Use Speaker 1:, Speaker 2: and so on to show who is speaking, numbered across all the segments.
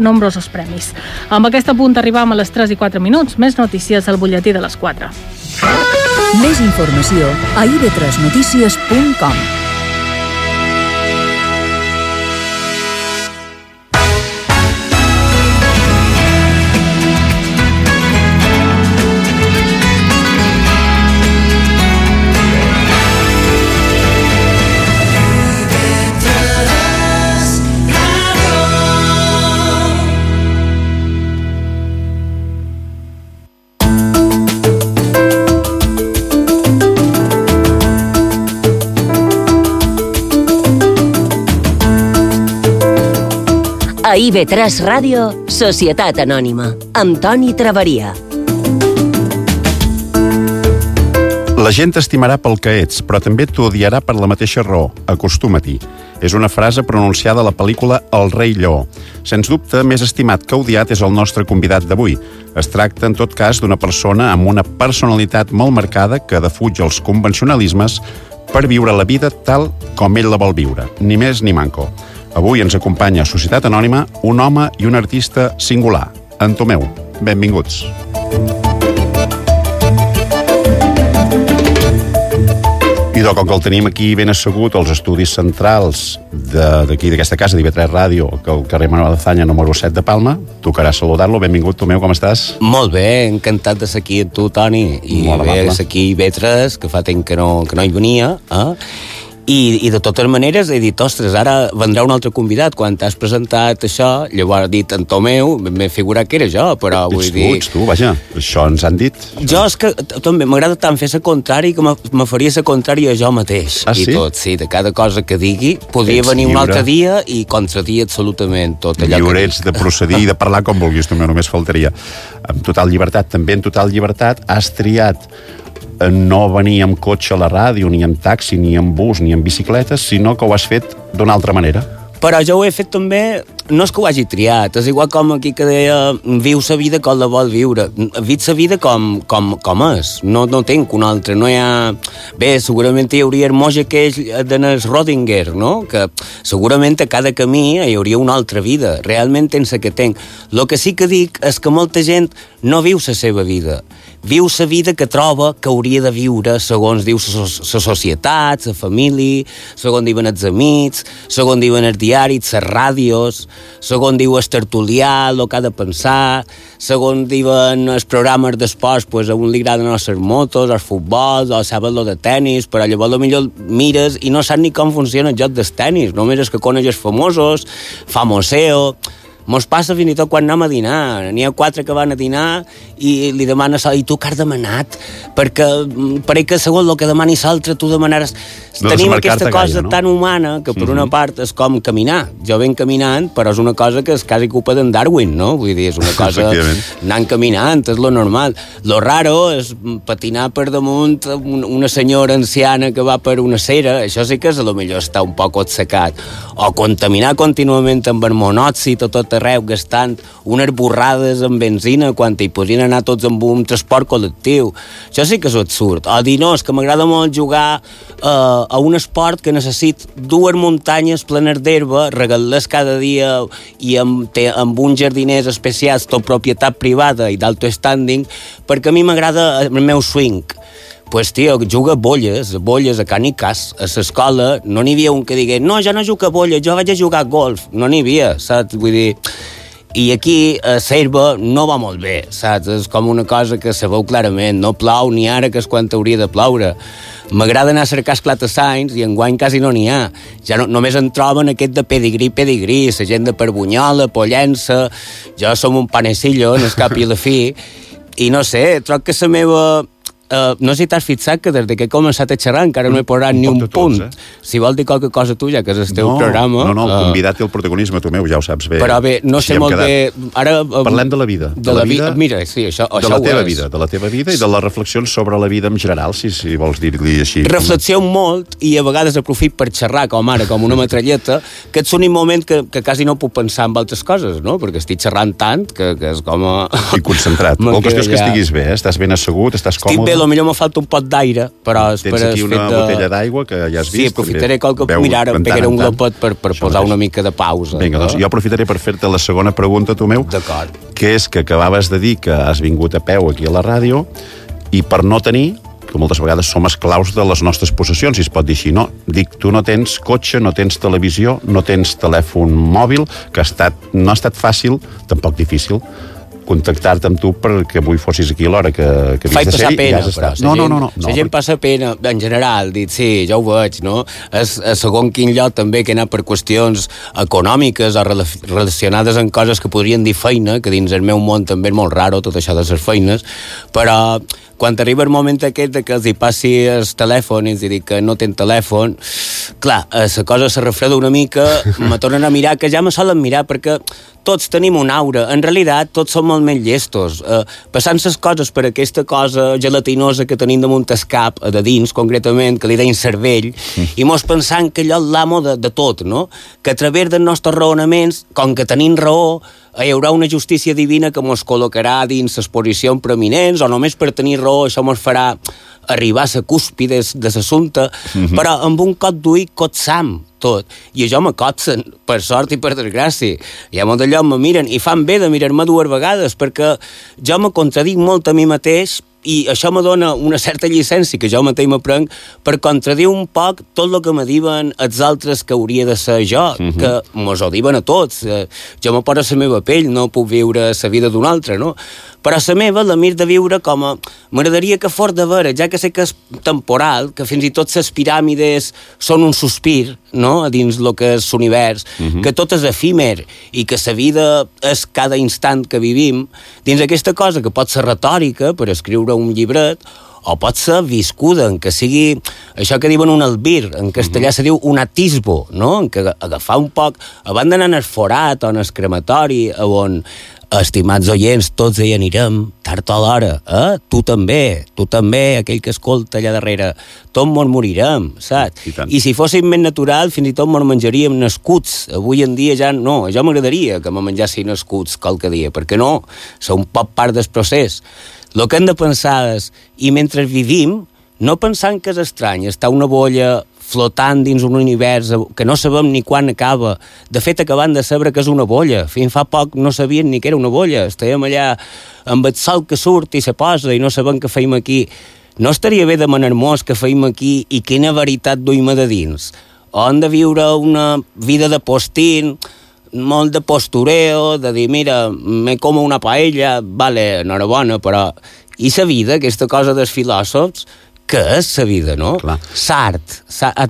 Speaker 1: nombrosos premis. Amb aquest punt arribam a les 3 i 4 minuts. Més notícies al butlletí de les 4.
Speaker 2: Més informació a ib3notícies.com.
Speaker 3: A IB3 Ràdio, Societat Anònima, amb Toni Traveria.
Speaker 4: La gent t'estimarà pel que ets, però també t'odiarà per la mateixa raó. Acostuma-t'hi. És una frase pronunciada a la pel·lícula El rei lleó. Sens dubte, més estimat que odiat és el nostre convidat d'avui. Es tracta, en tot cas, d'una persona amb una personalitat molt marcada que defuig els convencionalismes per viure la vida tal com ell la vol viure. Ni més ni manco. Avui ens acompanya a Societat Anònima un home i un artista singular. En Tomeu, benvinguts. Idò, com que el tenim aquí ben assegut als estudis centrals d'aquí, d'aquesta casa d'IB3 Ràdio, al carrer Manuel Azaña, número 7 de Palma, tocarà saludar-lo. Benvingut, Tomeu, com estàs?
Speaker 5: Molt bé, encantat de ser aquí amb tu, Toni. I molt bé, ser aquí IB3, que fa temps que no hi venia, I de totes maneres he dit, ostres, ara vendrà un altre convidat. Quan t'has presentat això, llavors he dit en Tomeu, m'he figurat que era jo, però vull dir...
Speaker 4: Ets tu, vaja, això ens han dit.
Speaker 5: Jo és que també m'agrada tant fer la contrari que me faria la contrària a jo mateix.
Speaker 4: Ah, sí?
Speaker 5: I tot, sí, de cada cosa que digui, podria venir un altre dia i contradir absolutament tot allò
Speaker 4: lliure ets de procedir i de parlar com vulguis, Tomeu, només faltaria. Amb total llibertat, també en total llibertat, has triat no venir amb cotxe a la ràdio, ni amb taxi, ni amb bus, ni amb bicicletes, sinó que ho has fet d'una altra manera.
Speaker 5: Però jo ho he fet també, no és que ho hagi triat, és igual com aquí que deia, viu la vida com la vol viure. Viu la vida com és, no tinc una altra, no hi ha... Bé, segurament hi hauria el moja aquell d'en Schrödinger, no? Que segurament a cada camí hi hauria una altra vida, realment tens la que tenc. El que sí que dic és que molta gent no viu la seva vida, viu la vida que troba que hauria de viure segons diu la societat, la família, segons diuen els amics, segons diuen els diaris, les ràdios, segons diu el tertulià, el que ha de pensar, segons diuen els programes d'esports, pues a un li agraden les motos, els futbols, o saben lo de tenis, però llavors potser mires i no saps ni com funciona el joc dels tenis, només és que coneix els famosos, famoseo... Mos passa fins i tot quan anem a dinar. N'hi ha 4 que van a dinar i li demanes i tu què has demanat? Perquè pareix que segons el que demani l'altre tu demanaràs... Tenim aquesta cosa tan humana que per una part és com caminar. Jo venc caminant, però és una cosa que és quasi culpa d'en Darwin, no? Vull dir, és una cosa... Anant caminant, és lo normal. Lo raro és patinar per damunt una senyora anciana que va per una cera. Això sí que és a lo millor està un poc atsecat. O contaminar contínuament amb el monòxid o tot arreu gastant unes borrades amb benzina quan hi podrien anar tots amb un transport col·lectiu. Això sí que és absurd. O dir, no, és que m'agrada molt jugar a un esport que necessit 2 muntanyes plenes d'herba, regalar-les cada dia i amb uns jardiners especials, tot propietat privada i d'alto standing, perquè a mi m'agrada el meu swing. Pues, tio, juga a bolles a Canicas, a l'escola, no n'hi havia un que digués, no, jo no jugo a bolles, jo vaig a jugar a golf. No n'hi havia, saps? Vull dir... I aquí a l'herba no va molt bé, saps? És com una cosa que se veu clarament, no plou ni ara que és quan hauria de ploure. M'agrada anar a cercar esclatassanys i enguany quasi no n'hi ha. Ja només en troben aquest de pedigrí, la gent de Perbunyola, Pollença, jo som un panecillo, en el cap i la fi, i no sé, trobo que la meva... no sé si t'has fixat que des que he començat a xerrar encara no he posat ni un punt. Si vol dir qualque cosa tu, ja que és el teu programa...
Speaker 4: No, el convidat té el protagonisme, Tomeu, ja ho saps bé.
Speaker 5: Però bé, no sé molt bé... Ara,
Speaker 4: parlem de la vida.
Speaker 5: De la vida. Mira, sí, això
Speaker 4: de la teva vida, de la teva vida i de les reflexions sobre la vida en general, si vols dir-li així.
Speaker 5: Reflexiono molt i a vegades aprofit per xerrar com ara, com una metralleta, que ets un moment que quasi no puc pensar en altres coses, no? Perquè estic xerrant tant que és com...
Speaker 4: I concentrat. La qüestió és que estiguis bé, estàs ben assegut, estàs còmode.
Speaker 5: Estic bé, potser me falta un pot d'aire, però...
Speaker 4: Tens aquí una botella d'aigua que ja has vist.
Speaker 5: Sí, aprofitaré qualque... Mira, ara em pegaré un glopet per posar una mica de pausa.
Speaker 4: Vinga, doncs jo aprofitaré per fer-te la segona pregunta, Tomeu.
Speaker 5: D'acord.
Speaker 4: Que és que acabaves de dir que has vingut a peu aquí a la ràdio i per no tenir, que moltes vegades som esclaus de les nostres possessions, si es pot dir així, no? Dic, tu no tens cotxe, no tens televisió, no tens telèfon mòbil, que no ha estat fàcil, tampoc difícil, contactar-te amb tu perquè avui fossis aquí a l'hora que
Speaker 5: faig passar pena, però.
Speaker 4: No.
Speaker 5: La gent passa pena, en general, dit, sí, ja ho veig, no? És a segon quin lloc també que he anat per qüestions econòmiques o relacionades amb coses que podrien dir feina, que dins el meu món també és molt raro, tot això de les feines, però quan arriba el moment aquest que els hi passi el telèfon i els dic que no tenen telèfon, clar, la cosa se refreda una mica, me tornen a mirar, que ja me solen mirar, perquè tots tenim una aura. En realitat, tots som molt més llestos. Passant les coses per aquesta cosa gelatinosa que tenim damunt el cap, de dins, concretament, que li deien cervell, i mos pensant que allò és l'amo de tot, no? Que a través dels nostres raonaments, com que tenim raó, hi haurà una justícia divina que mos col·locarà dins les posicions preeminents, o només per tenir raó això mos farà arribar a la cúspide de l'assumpte, però amb un cot d'ull cotsam tot. I això me cotsen, per sort i per desgràcia. Hi ha molt d'allò me miren, i fan bé de mirar-me 2 vegades, perquè jo me contradic molt a mi mateix, i això me dona una certa llicència que jo mateix m'aprenc per contradir un poc tot el que me diuen els altres que hauria de ser jo, que mos ho diuen a tots. Jo me poso a la meva pell, no puc viure la vida d'un altre, no? Però la meva la mir de viure com a... M'agradaria que fos de veure, ja que sé que és temporal, que fins i tot les piràmides són un sospir, no?, a dins el que és l'univers, que tot és efímer i que la vida és cada instant que vivim, dins aquesta cosa que pot ser retòrica per escriure un llibret, o pot ser viscuda, en què sigui això que diuen un albir, en castellà se diu un atisbo, no?, en què agafar un poc, abans d'anar en el forat o en el crematori, on, estimats oients, tots hi anirem, tard o l'hora, tu també, aquell que escolta allà darrere, tots mos morirem, saps? I si fóssim més natural, fins i tot mos menjaríem nascuts. Avui en dia ja no, jo m'agradaria que me menjassin nascuts qualque dia, perquè no, són un poc part del procés. El que hem de pensar és, i mentre vivim, no pensant que és estrany, està una bolla flotant dins un univers que no sabem ni quan acaba. De fet, acabant de saber que és una bolla. Fins fa poc no sabien ni que era una bolla. Estàvem allà amb el sol que surt i se posa i no sabem què feim aquí. No estaria bé demanar-nos què feim aquí i quina veritat duim de dins? O hem de viure una vida de postín, molt de postureo, de dir, mira, me como una paella, vale, enhorabona, però... I la vida, aquesta cosa dels filòsofs, què és la vida, no?
Speaker 4: Clar.
Speaker 5: Sart.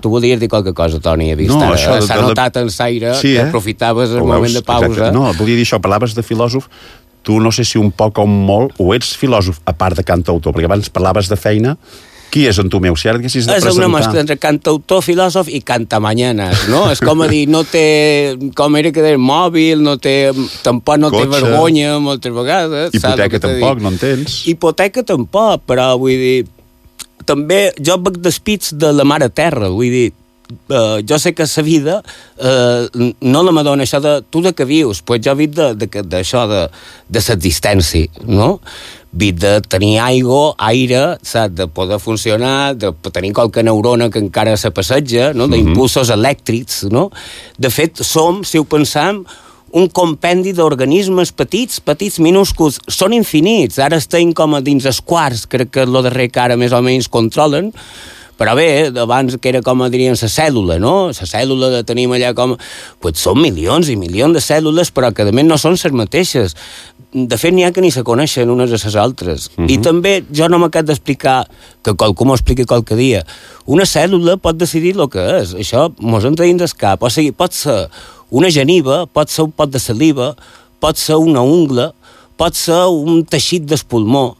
Speaker 5: Tu volies dir qualque cosa, Toni, he vist
Speaker 4: no,
Speaker 5: ara. S'ha notat en l'aire,
Speaker 4: sí,
Speaker 5: que aprofitaves el moment de pausa.
Speaker 4: Exacte. No, volia dir això, parlaves de filòsof, tu no sé si un poc o molt, o ets filòsof, a part de cantautor, perquè abans parlaves de feina. Qui és en Tomeu? Si ara haguessis de presentar...
Speaker 5: És una mescla entre cantautor, filòsof i cantamañanes, no? És com a dir, no té... Com era que deia, mòbil, no té... Tampoc no té vergonya, moltes vegades.
Speaker 4: Hipoteca tampoc, no en tens.
Speaker 5: Hipoteca tampoc, però vull dir... També jo veig despits de la mare terra, vull dir... jo sé que la vida no la m'adona això de tu de què vius, pues jo vic d'això de l'existència, no? Vic de tenir aire, saps? De poder funcionar, de tenir qualque neurona que encara se passeja, no? D'impulsos elèctrics, no? De fet, som, si ho pensam, un compendi d'organismes petits, minúsculs, són infinits. Ara estem com a dins els quarts, crec que és el darrer que ara més o menys controlen, però bé, abans que era com diríem la cèl·lula, no? La cèl·lula la tenim allà com... Pues són milions i milions de cèl·lules, però que a més no són les mateixes. De fet, n'hi ha que ni se coneixen unes a les altres. I també jo no m'acabo d'explicar, que qualcú m'ho expliqui qualque dia, una cèl·lula pot decidir el que és. Això mos entra dins del cap. O sigui, pot ser una geniva, pot ser un pot de saliva, pot ser una ungla, pot ser un teixit del pulmó,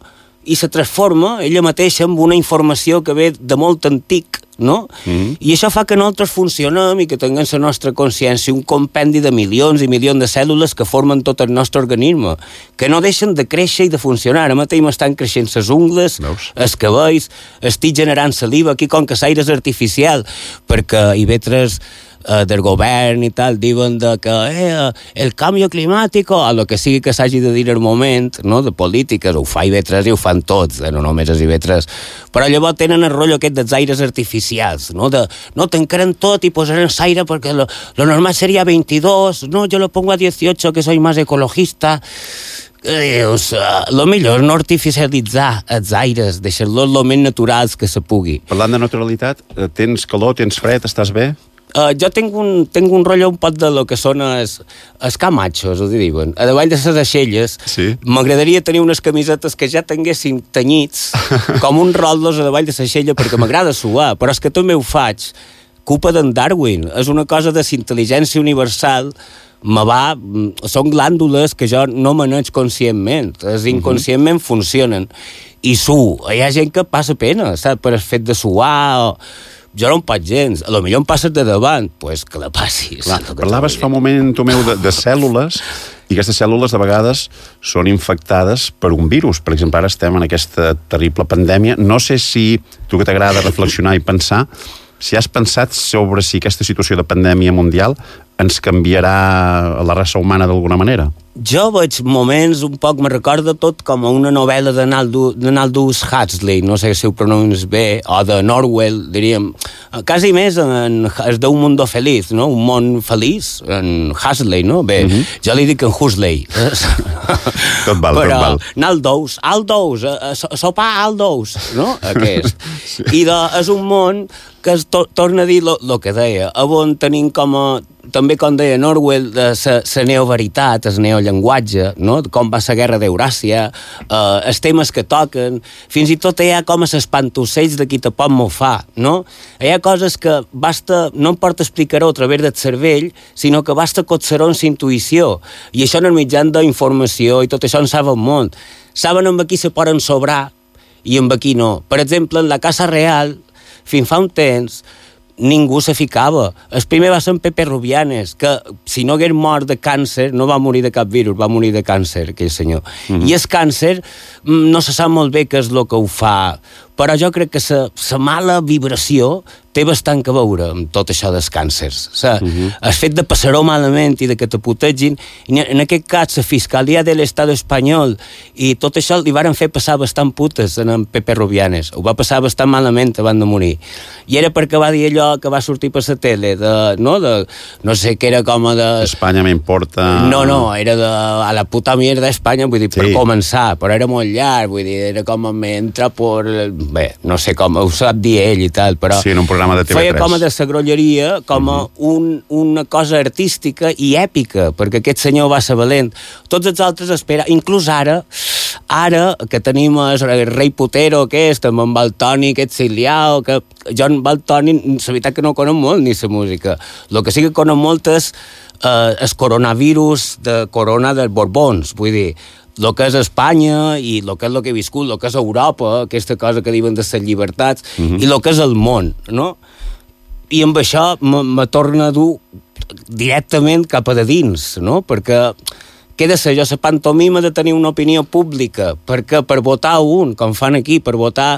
Speaker 5: i se transforma ella mateixa en una informació que ve de molt antic, no? I això fa que nosaltres funcionem i que tinguem la nostra consciència, un compendi de milions i milions de cèl·lules que formen tot el nostre organisme, que no deixen de créixer i de funcionar. Ara mateix m'estan creixent les ungles, els cabells, estic generant saliva, aquí com que l'aire és artificial, perquè hi ve del govern i tal, diuen que el canvi climàtic o el que sigui que s'hagi de dir al moment, no?, de polítiques, ho fa IB3 i ho fan tots, no només és IB3, però llavors tenen el rotllo aquest dels aires artificials, no?, no tancarem tot i posarem l'aire perquè lo normal seria 22, no, yo lo pongo a 18 que soy más ecologista. Dius, lo millor no artificialitzar els aires, deixar-los lo més naturals que se pugui.
Speaker 4: Parlant de naturalitat, tens calor, tens fred, estàs bé?
Speaker 5: Jo tinc un rotllo un pot de lo que són els camachos, ho diuen. A davall de les aixelles,
Speaker 4: sí.
Speaker 5: M'agradaria tenir unes camisetes que ja tinguessin tenyits, com un rollos a davall de l'aixella, perquè m'agrada suar, però és que també ho faig. Culpa d'en Darwin, és una cosa de intel·ligència universal, són glàndules que jo no maneig conscientment, inconscientment funcionen, i hi ha gent que passa pena, saps, per el fet de suar, jo no em faig gens, a lo millor em passes de davant, pues que la passis.
Speaker 4: Clar, parlaves fa un moment, Tomeu, de cèl·lules, i aquestes cèl·lules de vegades són infectades per un virus. Per exemple, ara estem en aquesta terrible pandèmia. No sé si tu que t'agrada reflexionar i pensar, si has pensat sobre si aquesta situació de pandèmia mundial ens canviarà la raça humana d'alguna manera?
Speaker 5: Jo veig moments, un poc, me recorda tot com a una novel·la d'Aldous Huxley, no sé si ho pronuncies bé, o de Orwell, diríem, quasi més es diu un mundo feliç, no? Un món feliç, en Huxley, no? Bé, jo li dic en Huxley.
Speaker 4: Tot val,
Speaker 5: però,
Speaker 4: tot val.
Speaker 5: Aldous, sopar Aldous, no? Aquest. Sí. I és un món que torna a dir el que deia, on tenim també com deia Orwell, la neoveritat, el neollenguatge, no? Com va la guerra d'Euràsia, els temes que toquen, fins i tot hi ha com els espantussells de qui te pot mofar, no? Hi ha coses que no em porta explicar-ho a través del cervell, sinó que basta cotxar-ho en la intuïció, i això en el mitjan d'informació, i tot això en saben molt. Saben amb qui se poden sobrar i amb qui no. Per exemple, en la Casa Real, fins fa un temps, ningú se ficava. El primer va ser en Pepe Rubianes, que si no hagués mort de càncer, no va morir de cap virus, va morir de càncer, aquell senyor. I el càncer no se sap molt bé què és el que ho fa, però jo crec que la mala vibració té bastant que veure amb tot això dels càncers. El fet de passar-ho malament i de que te putegin, en aquest cas la Fiscalia de l'Estat espanyol i tot això li varen fer passar bastant putes en Pepe Rubianes. Ho va passar bastant malament abans de morir. I era perquè va dir allò que va sortir per la tele, no sé què era com de...
Speaker 4: Espanya m'importa...
Speaker 5: No, era de a la puta mierda Espanya, vull dir, per començar, però era molt llarg, vull dir, era com me entra por... Bé, no sé com, ho sap dir ell i tal, però...
Speaker 4: Sí, en un programa de TV3.
Speaker 5: Feia com a de sagrolleria, com a una cosa artística i èpica, perquè aquest senyor va ser valent. Tots els altres esperen, inclús ara que tenim el rei Potero aquest, amb en Valtoni, aquest Ciliao, que jo en Valtoni, la veritat que no conec molt ni la música. El que sí que conec molt és el coronavirus de corona dels Borbons, vull dir, el que és Espanya i el que és el que he viscut, el que és Europa, aquesta cosa que diuen de les llibertats, i el que és el món, no? I amb això me torna a dur directament cap a de dins, no? Perquè què he de ser jo, la pantomima de tenir una opinió pública, perquè per votar un, com fan aquí, per votar...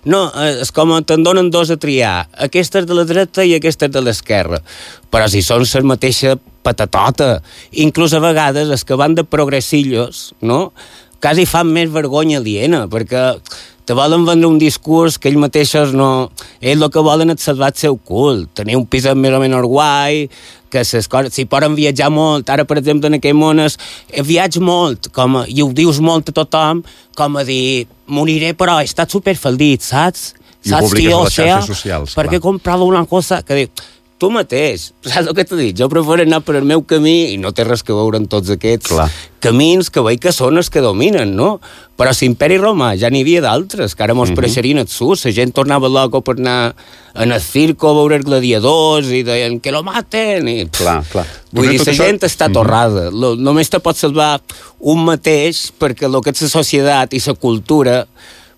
Speaker 5: No, és com te'n donen dos a triar, aquesta és de la dreta i aquesta és de l'esquerra, però si són la mateixa patatota, inclús a vegades els que van de progressillos, no?, quasi fan més vergonya aliena, perquè te volen vendre un discurs que ells mateixos no... Ells el que volen és salvar el seu cul, tenir un pis més o menys guai, que les coses... Si poden viatjar molt, ara, per exemple, en aquell món viatge molt, i ho dius molt a tothom, com a dir, moriré, però he estat superfaldit, saps?
Speaker 4: I ho publiques a les xarxes socials,
Speaker 5: clar. Perquè he comprat una cosa que dic... Tu mateix, saps el que t'he dit? Jo prefero anar per el meu camí i no té res que veure amb tots aquests camins que veig que són els que dominen, no? Però a l'Imperi Romà ja n'hi havia d'altres, que ara mos pareixerien absurds. La gent tornava loco per anar en el circo a veure els gladiadors i deien que lo maten. I...
Speaker 4: Clar.
Speaker 5: Vull dir, la gent està torrada. Només te pot salvar un mateix perquè el que és la societat i la cultura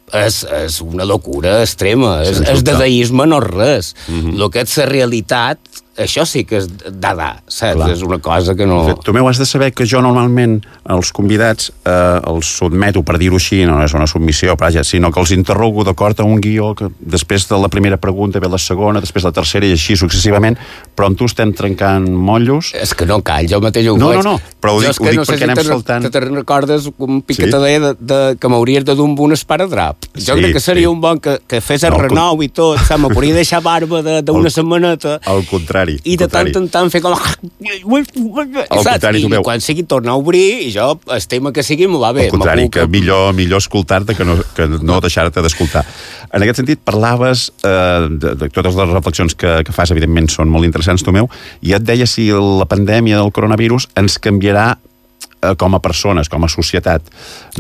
Speaker 5: és una locura extrema, és dadaisme no res. El que és la realitat això sí que és dada, saps? Clar. És una cosa que no...
Speaker 4: Tomeu, has de saber que jo normalment els convidats els sotmeto, per dir-ho així, no és una submissió, sinó que els interrogo d'acord a un guió que després de la primera pregunta ve la segona, després la tercera i així successivament, però amb tu estem trencant motllos.
Speaker 5: És que no cal, jo mateix ho faig.
Speaker 4: No, però ho dic perquè anem saltant.
Speaker 5: Te'n recordes un piqueta que m'hauries de dur amb un esparadrap. Jo crec que seria un bon que fes el renou i tot, me podria deixar barba d'una setmaneta.
Speaker 4: Al contrari.
Speaker 5: I de tant en tant fer com... I quan sigui tornar a obrir, i jo, el tema que sigui, m'ho va bé.
Speaker 4: Al contrari, que millor escoltar-te que no deixar-te d'escoltar. En aquest sentit, parlaves de totes les reflexions que fas, evidentment són molt interessants, Tomeu, i et deia si la pandèmia del coronavirus ens canviarà com a persones, com a societat.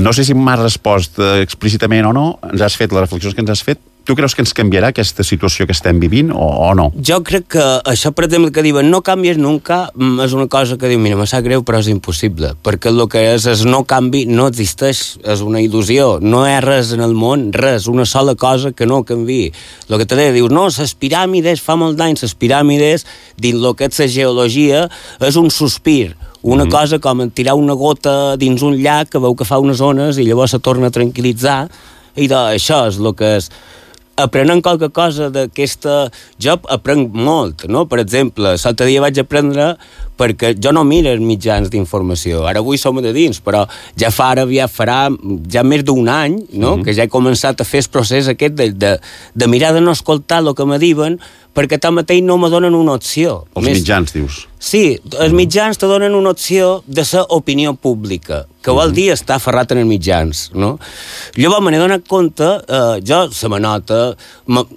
Speaker 4: No sé si m'has respost explícitament o no, ens has fet les reflexions que ens has fet. Tu creus que ens canviarà aquesta situació que estem vivint o no?
Speaker 5: Jo crec que això, per exemple, que diuen no canvies nunca, és una cosa que diu, mira, me sap greu, però és impossible, perquè el que és no canvi no existeix, és una il·lusió, no hi ha res en el món, res, una sola cosa que no canvi. El que te deia, dius, no, les piràmides, fa molt d'anys, les piràmides, dins el que és la geologia, és un sospir, una cosa com tirar una gota dins un llac que veu que fa unes ones i llavors se torna a tranquil·litzar, i això és el que és. Aprenent qualque cosa d'aquesta... Jo aprenc molt, no? Per exemple, l'altre dia vaig aprendre perquè jo no miro els mitjans d'informació. Ara avui som de dins, però ja farà ja més d'un any, no? Que ja he començat a fer el procés aquest de mirar de no escoltar el que me diuen, perquè tanmateix no me donen una opció.
Speaker 4: Els mitjans, dius?
Speaker 5: Sí, els mitjans te donen una opció de ser opinió pública, que vol dir estar aferrat en els mitjans, no? Llavors me n'he donat compte, jo se me nota,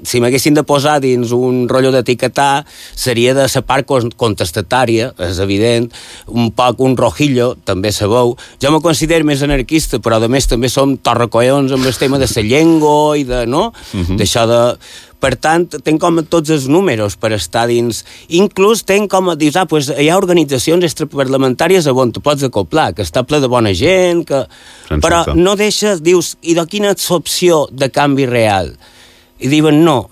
Speaker 5: si m'haguessin de posar dins un rotllo d'etiquetar, seria de la part contestatària, és evident, un poc un rojillo, també sabeu. Jo me considero més anarquista, però a més també som torracollons amb el tema de la llengua i de, no? D'això de... Per tant, tenc com tots els números per estar dins. Inclús tenc com, dius, pues hi ha organitzacions extraparlamentàries on te pots acoplar, que està ple de bona gent, que... però no deixes, dius, i de quina és l'opció de canvi real? I diuen, no,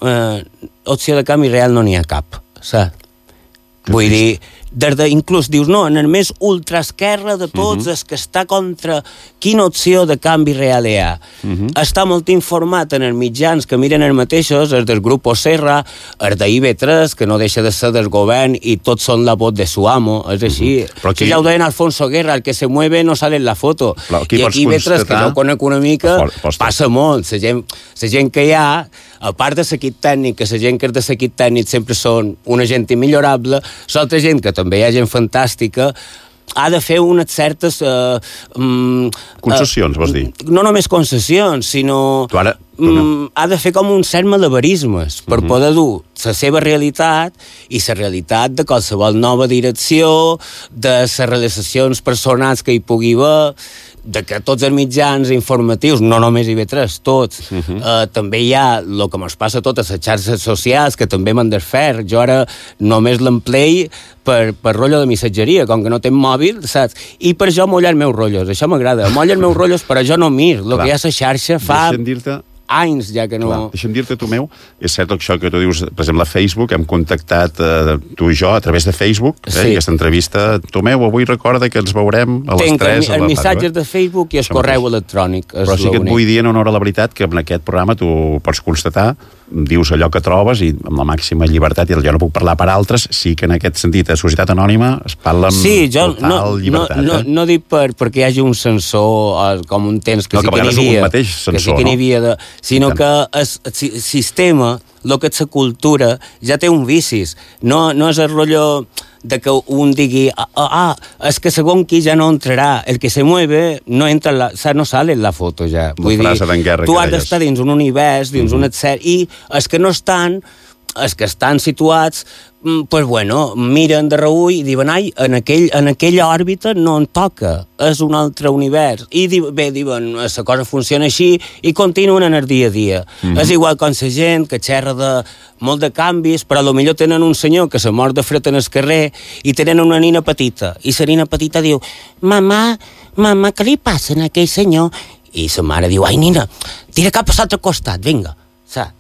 Speaker 5: opció de canvi real no n'hi ha cap, saps? Vull dir, inclús dius, no, en el més ultraesquerra de tots és que està contra quina opció de canvi real hi ha. Està molt informat en els mitjans que miren els mateixos, els del Grupo Serra, els d'IV3, que no deixa de ser del govern i tots són la voz de su amo, és així. Aquí... Si ja ho deien Alfonso Guerra, el que se mueve no sale en la foto. I aquí IV3, que jo conec una mica, passa molt. La gent que hi ha, a part de l'equip tècnic, que la gent que és de l'equip tècnic sempre són una gent immillorable, l'altra gent que també hi ha gent fantàstica, ha de fer unes certes...
Speaker 4: concessions, vols dir?
Speaker 5: No només concessions, sinó... ha de fer com un cert malabarismes per poder dur la seva realitat i la realitat de qualsevol nova direcció, de les realitzacions personals que hi pugui haver, de que tots els mitjans informatius, no només IV3, tots, també hi ha el que ens passa a totes les xarxes socials, que també m'han de fer. Jo ara només l'emplei per rotllo de missatgeria, com que no tenc mòbil, saps? I per això mollar els meus rotllos, això m'agrada. Mollar els meus rotllos, però jo no mir. El que hi ha a la xarxa fa... anys ja que no...
Speaker 4: Clar, deixa'm dir-te, Tomeu, és cert això que tu dius, per exemple, a Facebook, hem contactat tu i jo a través de Facebook, aquesta entrevista. Tomeu, avui recorda que ens veurem a les 3 a la tarda.
Speaker 5: Tinc els missatges de Facebook i el correu electrònic.
Speaker 4: Però sí que et vull dir en honor a la veritat que en aquest programa tu pots constatar, dius allò que trobes i amb la màxima llibertat, i jo no puc parlar per altres, sí que en aquest sentit a Societat Anònima es parla amb total llibertat.
Speaker 5: No dic perquè hi hagi un censor com un temps que sí que n'hi havia, sinó que el sistema, el que és la cultura, ja té un vicis. No és el rotllo de que un digui és que segons qui ja no entrarà, el que se mueve no entra, no sale en la foto ja. Vull dir, tu has d'estar dins un univers, dins un etc. I els que no estan, els que estan situats, pues bueno, miren de reull i diuen, en aquella òrbita no en toca, és un altre univers. I diuen, la cosa funciona així i continuen en el dia a dia. És igual com la gent que xerra de molt de canvis, però potser tenen un senyor que se mor de fred en el carrer i tenen una nina petita, i la nina petita diu, mamà, què li passa a aquell senyor? I la mare diu, ai nina, tira cap a l'altre costat, vinga, saps?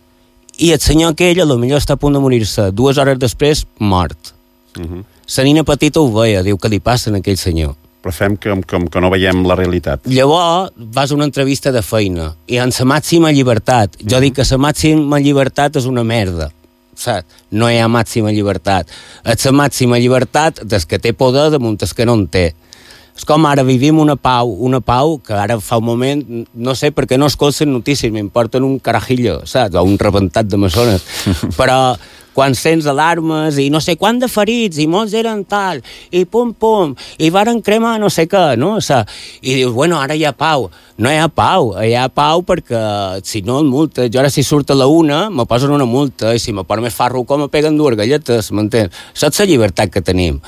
Speaker 5: I el senyor aquell potser està a punt de morir-se, 2 hores després, mort. La nina petita ho veia, diu que li passa a aquell senyor.
Speaker 4: Però fem que no veiem la realitat.
Speaker 5: Llavors vas a una entrevista de feina i en la màxima llibertat. Jo dic que la màxima llibertat és una merda, saps? No hi ha màxima llibertat. És la màxima llibertat des que té poder damunt des que no en té. És com ara vivim una pau que ara fa un moment, no sé per què no escolten notícies, m'importen un carajillo, saps? O un rebentat de maçones. Però quan sents alarmes i no sé quant de ferits i molts eren tal, i pum, i varen cremar no sé què, no? O sigui, i dius, bueno, ara hi ha pau. No hi ha pau perquè si no el multa. Jo ara si surt a la 1 me posen una multa i si me poso més farro com me peguen 2 galletes, m'entens? Saps la llibertat que tenim?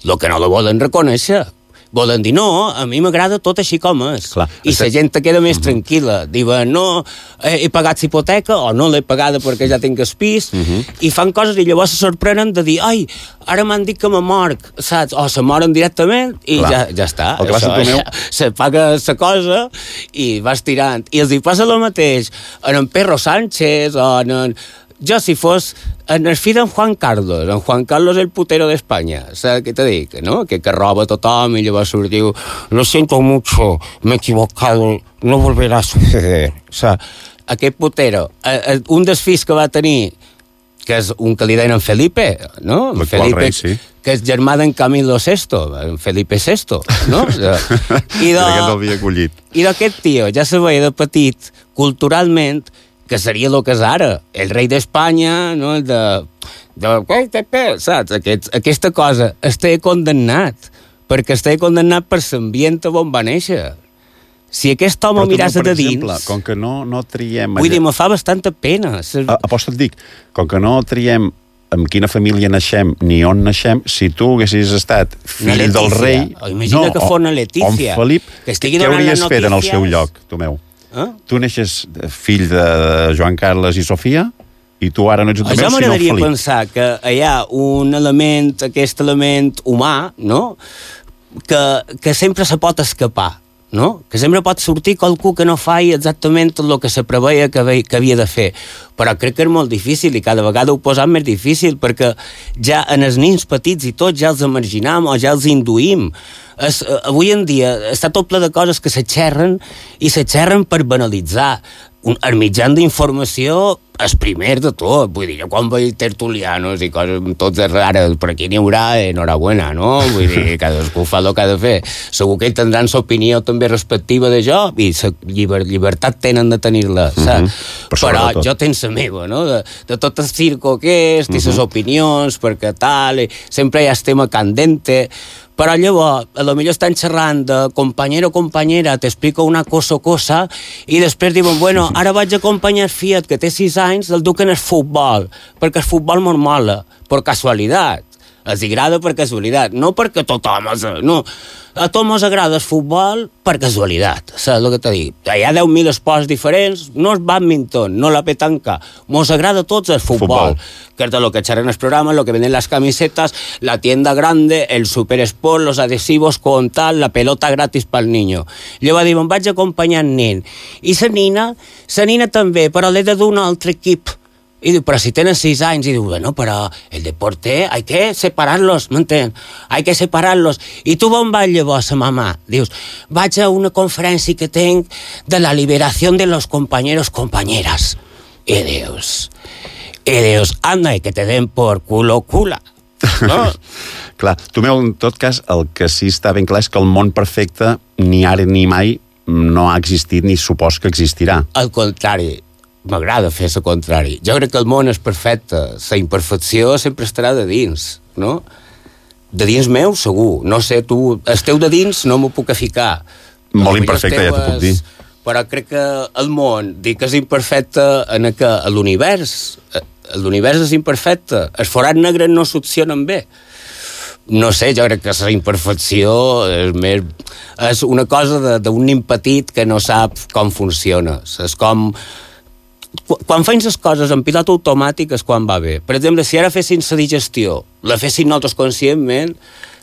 Speaker 5: El que no la volen reconèixer. Volen dir, no, a mi m'agrada tot així com és.
Speaker 4: Clar,
Speaker 5: I la gent queda més tranquil·la. Diuen, no, he pagat hipoteca o no l'he pagada perquè ja tinc el pis, i fan coses i llavors se sorprenen de dir, ai, ara m'han dit que me morc, saps? O se moren directament i ja està.
Speaker 4: El que passa, Tomeu...
Speaker 5: Se paga la cosa i vas tirant. I els hi passa el mateix en Pedro Sánchez o en... Jo, si fos en el fill d'en Juan Carlos, en Juan Carlos el putero d'Espanya, saps què te dic, no? Que roba tothom i llavors surt diu, lo siento mucho, me he equivocado, no volverá a suceder. O sigui, aquest putero, un dels fills que va tenir, que és un que li deien en Felipe, no?
Speaker 4: L'actual rei, sí.
Speaker 5: Que és germà d'en Camilo VI, en Felipe VI, no? I
Speaker 4: aquest l'havia acollit.
Speaker 5: I d'aquest tio ja se veia de petit, culturalment, que seria el que és ara, el rei d'Espanya, no? Saps? Aquesta cosa està condemnat, perquè està condemnat per l'ambient on va néixer. Si aquest home miràs de dins...
Speaker 4: Exemple, com que no triem...
Speaker 5: Vull dir, me fa bastanta pena.
Speaker 4: Aposta et dic, com que no triem amb quina família naixem ni on naixem, si tu haguessis estat fill del rei...
Speaker 5: Imagina que fos una Letícia.
Speaker 4: O en Felip, què hauries fet en el seu lloc, Tomeu? Tu neixes fill de Joan Carles i Sofia i tu ara no ets un Tomeu, sinó un Felip.
Speaker 5: Jo m'agradaria pensar que hi ha un element, aquest element humà, no?, que sempre se pot escapar, no? Que sempre pot sortir qualcú que no faci exactament el que se preveia que havia de fer. Però crec que és molt difícil i cada vegada ho posam més difícil perquè ja en els nins petits i tots ja els imaginam o ja els induïm. Avui en dia està tot ple de coses que se xerren i se xerren per banalitzar. El mitjan d'informació és primer de tot. Vull dir, jo quan veig tertulianos i coses tots rares, per aquí n'hi haurà, enhorabuena, no? Vull dir, cadascú fa el que ha de fer. Segur que tindran l'opinió també respectiva de jo i la llibertat tenen de tenir-la, saps? Però jo tinc la meva, no? De tot el circo aquest i les opinions, perquè tal, sempre hi ha el tema candente. Però llavors, a lo millor estan xerrant de compañero, compañera, t'explico una cosa, i després diuen, bueno, ara vaig acompanyar el Fiat, que té 6 anys, el duc en el futbol, perquè el futbol molt mola, per casualitat. Els agrada per casualitat, no perquè tothom... No, a tots ens agrada el futbol per casualitat, saps el que t'he dit? Hi ha 10.000 esports diferents, no el badminton, no la petanca, ens agrada a tots el futbol. Que és de lo que xerren el programa, lo que venden las camisetas, la tienda grande, el superesport, los adhesivos con tal, la pelota gratis pel niño. Llavors diuen, vaig acompanyar el nen. I la nina també, però l'he de dur un altre equip. I diu, però si tenen 6 anys, i diu, bueno, però el deporte hay que separarlos, m'entén? Hay que separarlos. I tu on vas llavors, mamà? Dius, vaig a una conferència que tenc de la liberació de los compañeros, compañeras. I dius, anda, que te den por culo, cula. No?
Speaker 4: Clar, Tomeu, en tot cas, el que sí està ben clar és que el món perfecte ni ara ni mai no ha existit ni supos que existirà.
Speaker 5: Al contrari, m'agrada fer el contrari. Jo crec que el món és perfecte. La imperfecció sempre estarà de dins, no? De dins meu, segur. No sé, tu, el teu de dins no m'ho puc ficar.
Speaker 4: Molt imperfecte, ja t'ho puc dir.
Speaker 5: Però crec que el món, dic que és imperfecte en que l'univers és imperfecte. Els forats negres no succionen bé. No sé, jo crec que la imperfecció és una cosa d'un nin petit que no sap com funciona. És com... Quan fem les coses en pilot automàtic és quan va bé. Per exemple, si ara fessin la digestió, la fessin nosaltres conscientment,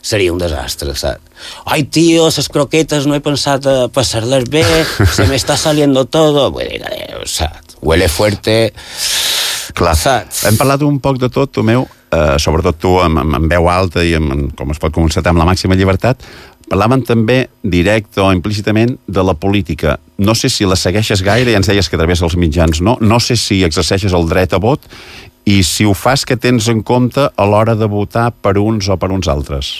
Speaker 5: seria un desastre, saps? Ai, tio, les croquetes no he pensat a passar-les bé, se me está saliendo todo. Vull dir, saps? Huele fuerte.
Speaker 4: Clar,
Speaker 5: saps?
Speaker 4: hem parlat un poc de tot, Tomeu. sobretot tu amb veu alta i com es pot constatar amb la màxima llibertat, parlaven també directe o implícitament de la política. No sé si la segueixes gaire, ja ens deies que a través dels mitjans no sé si exerceixes el dret a vot i si ho fas, que tens en compte a l'hora de votar per uns o per uns altres.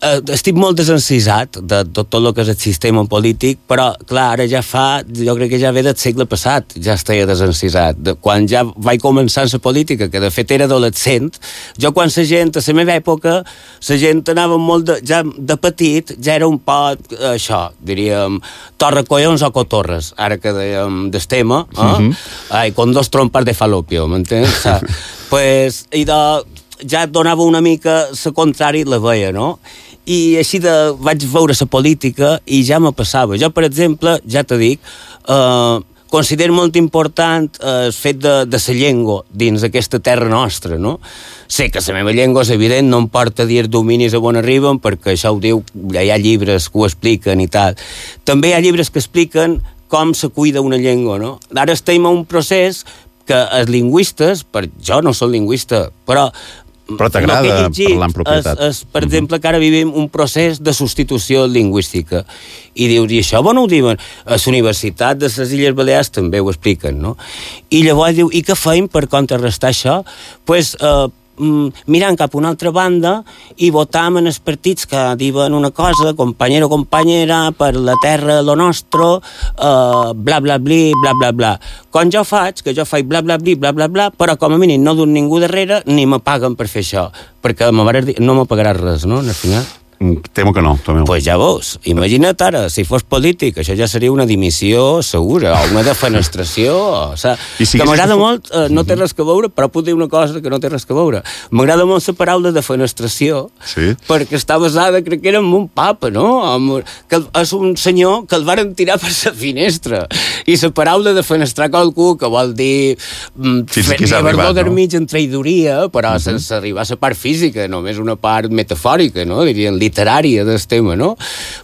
Speaker 5: Estic molt desencisat de tot el que és el sistema polític, però, clar, ara jo crec que ja ve del segle passat, ja estava desencisat. Quan ja vaig començar la política, que de fet era adolescent, jo quan la gent, a la meva època, la gent anava molt ja de petit, ja era un poc, això, diríem, torrecollons o cotorres, ara que dèiem del tema, con dos trompas de falopio, m'entens? Pues, i ja donava una mica la contrària la veia, no? I així vaig veure la política i ja me passava. Jo, per exemple, ja t'ho dic, considero molt important el fet de la llengua dins aquesta terra nostra, no? Sé que la meva llengua és evident, no em porta a dir dominis a on arriben, perquè això ho diu, hi ha llibres que ho expliquen i tal. També hi ha llibres que expliquen com se cuida una llengua, no? Ara estem en un procés que els lingüistes, jo no soc lingüista, però
Speaker 4: t'agrada parlar en propietat.
Speaker 5: Per exemple, que ara vivim un procés de substitució lingüística. I dius, i això on ho diuen? A la Universitat de les Illes Balears també ho expliquen, no? I llavors diu, i què feim per contrarrestar això? Doncs mirant cap a una altra banda i votam en els partits que diuen una cosa, compañero, companyera, per la terra, lo nostre, bla, bla, bli, bla, bla, bla. Quan jo faig bla, bla, bli, bla, bla, bla, però com a mínim no d'un ningú darrere ni me paguen per fer això, perquè no me pagaràs res, no, al final.
Speaker 4: Temo que no, Tomeu.
Speaker 5: Pues ja veus, imagina't ara, si fos polític, això ja seria una dimissió segura, o una defenestració, o sigui, que m'agrada molt, no té res que veure, però puc dir una cosa que no té res que veure. M'agrada molt la paraula defenestració, perquè està basada, crec que era en un papa, no? Que és un senyor que el varen tirar per la finestra, i la paraula defenestrar qualcú, que vol dir fer-lo d'armig en traïdoria, però sense arribar a la part física, només una part metafòrica, no? Dirien literària del tema, no?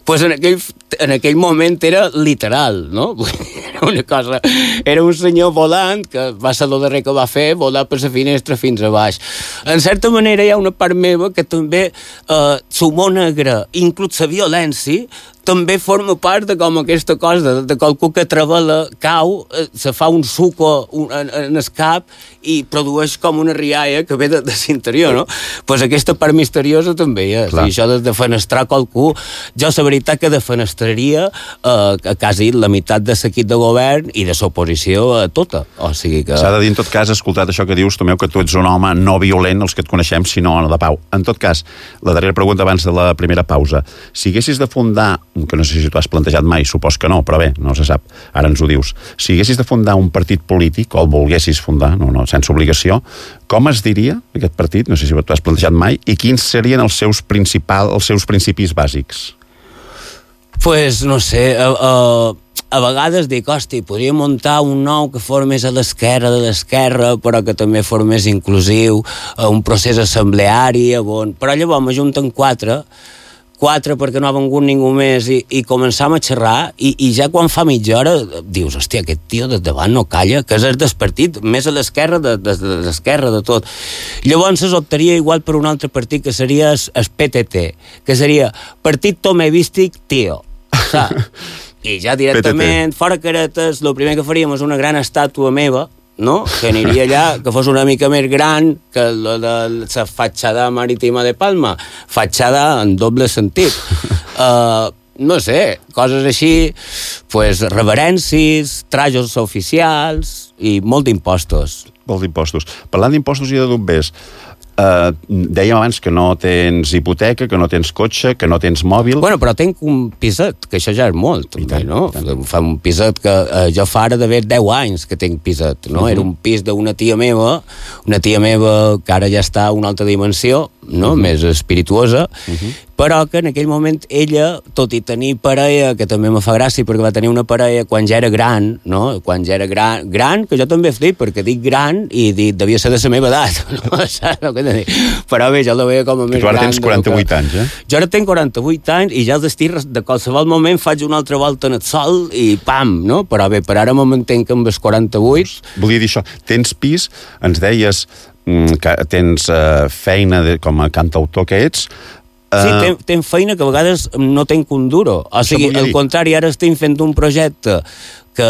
Speaker 5: Pues en aquell moment era literal, no? Era una cosa... Era un senyor volant que va ser el darrer que va fer, volar per la finestra fins a baix. En certa manera hi ha una part meva que també l'humor negre, inclús la violència, també forma part de com aquesta cosa, de qualcú que travela, cau, se fa un suco en el cap i produeix com una rialla que ve de l'interior, no? Pues aquesta part misteriosa també hi és. I això de defenestrar qualcú, jo la veritat que defenestraria quasi la meitat de l'equip de govern i de l'oposició tota. O sigui que...
Speaker 4: S'ha de dir, en tot cas, escoltat això que dius, Tomeu, que tu ets un home no violent, els que et coneixem, sinó de pau. En tot cas, la darrera pregunta abans de la primera pausa. Si haguessis de fundar, que no sé si t'ho has plantejat mai, supos que no, però bé, no se sap, ara ens ho dius. Si haguessis de fundar un partit polític, o el volguessis fundar, no, sense obligació, com es diria aquest partit, no sé si t'ho has plantejat mai, i quins serien els seus principis bàsics?
Speaker 5: Pues, no sé, a vegades dic, hosti, podria muntar un nou que fos més a l'esquerra de l'esquerra, però que també fos més inclusiu, un procés assembleari, però llavors m'ajunten quatre perquè no ha vengut ningú més i començam a xerrar i ja quan fa mitja hora dius, hòstia, aquest tio de davant no calla, que és el del partit, més a l'esquerra de l'esquerra de tot. Llavors es optaria igual per un altre partit que seria el PTT, que seria Partit Tomevístic Tío, saps? I ja directament, fora caretes, el primer que faríem és una gran estàtua meva, no? Que aniria allà, que fos una mica més gran que la fatxada marítima de Palma, fatxada en doble sentit. No sé, coses així, pues, reverències, trajos oficials i molt d'impostos.
Speaker 4: Molt d'impostos. Parlant d'impostos i de bombers, dèiem abans que no tens hipoteca, que no tens cotxe, que no tens mòbil...
Speaker 5: Bueno, però tenc un piset, que això ja és molt, també, no? Fa un piset que jo fa ara d'haver 10 anys que tenc piset, no? Era un pis d'una tia meva que ara ja està a una altra dimensió, no? Més espirituosa, però que en aquell moment ella, tot i tenir parella, que també me fa gràcia perquè va tenir una parella quan ja era gran, no? Quan ja era gran, que jo també he dit, perquè dic gran i dic, devia ser de la meva edat, no? Saps el que t'he dit? Però bé, jo la veia com a més gran.
Speaker 4: Tu ara tens 48 anys,
Speaker 5: Jo ara tenc 48 anys i ja al destí de qualsevol moment faig una altra volta en el sol i pam, no? Però bé, per ara me mantenc amb els 48.
Speaker 4: Volia dir això, tens pis, ens deies que tens feina com a cantautor que ets.
Speaker 5: Sí, tenc feina que a vegades no tenc un duro. O sigui, al contrari, ara estic fent un projecte que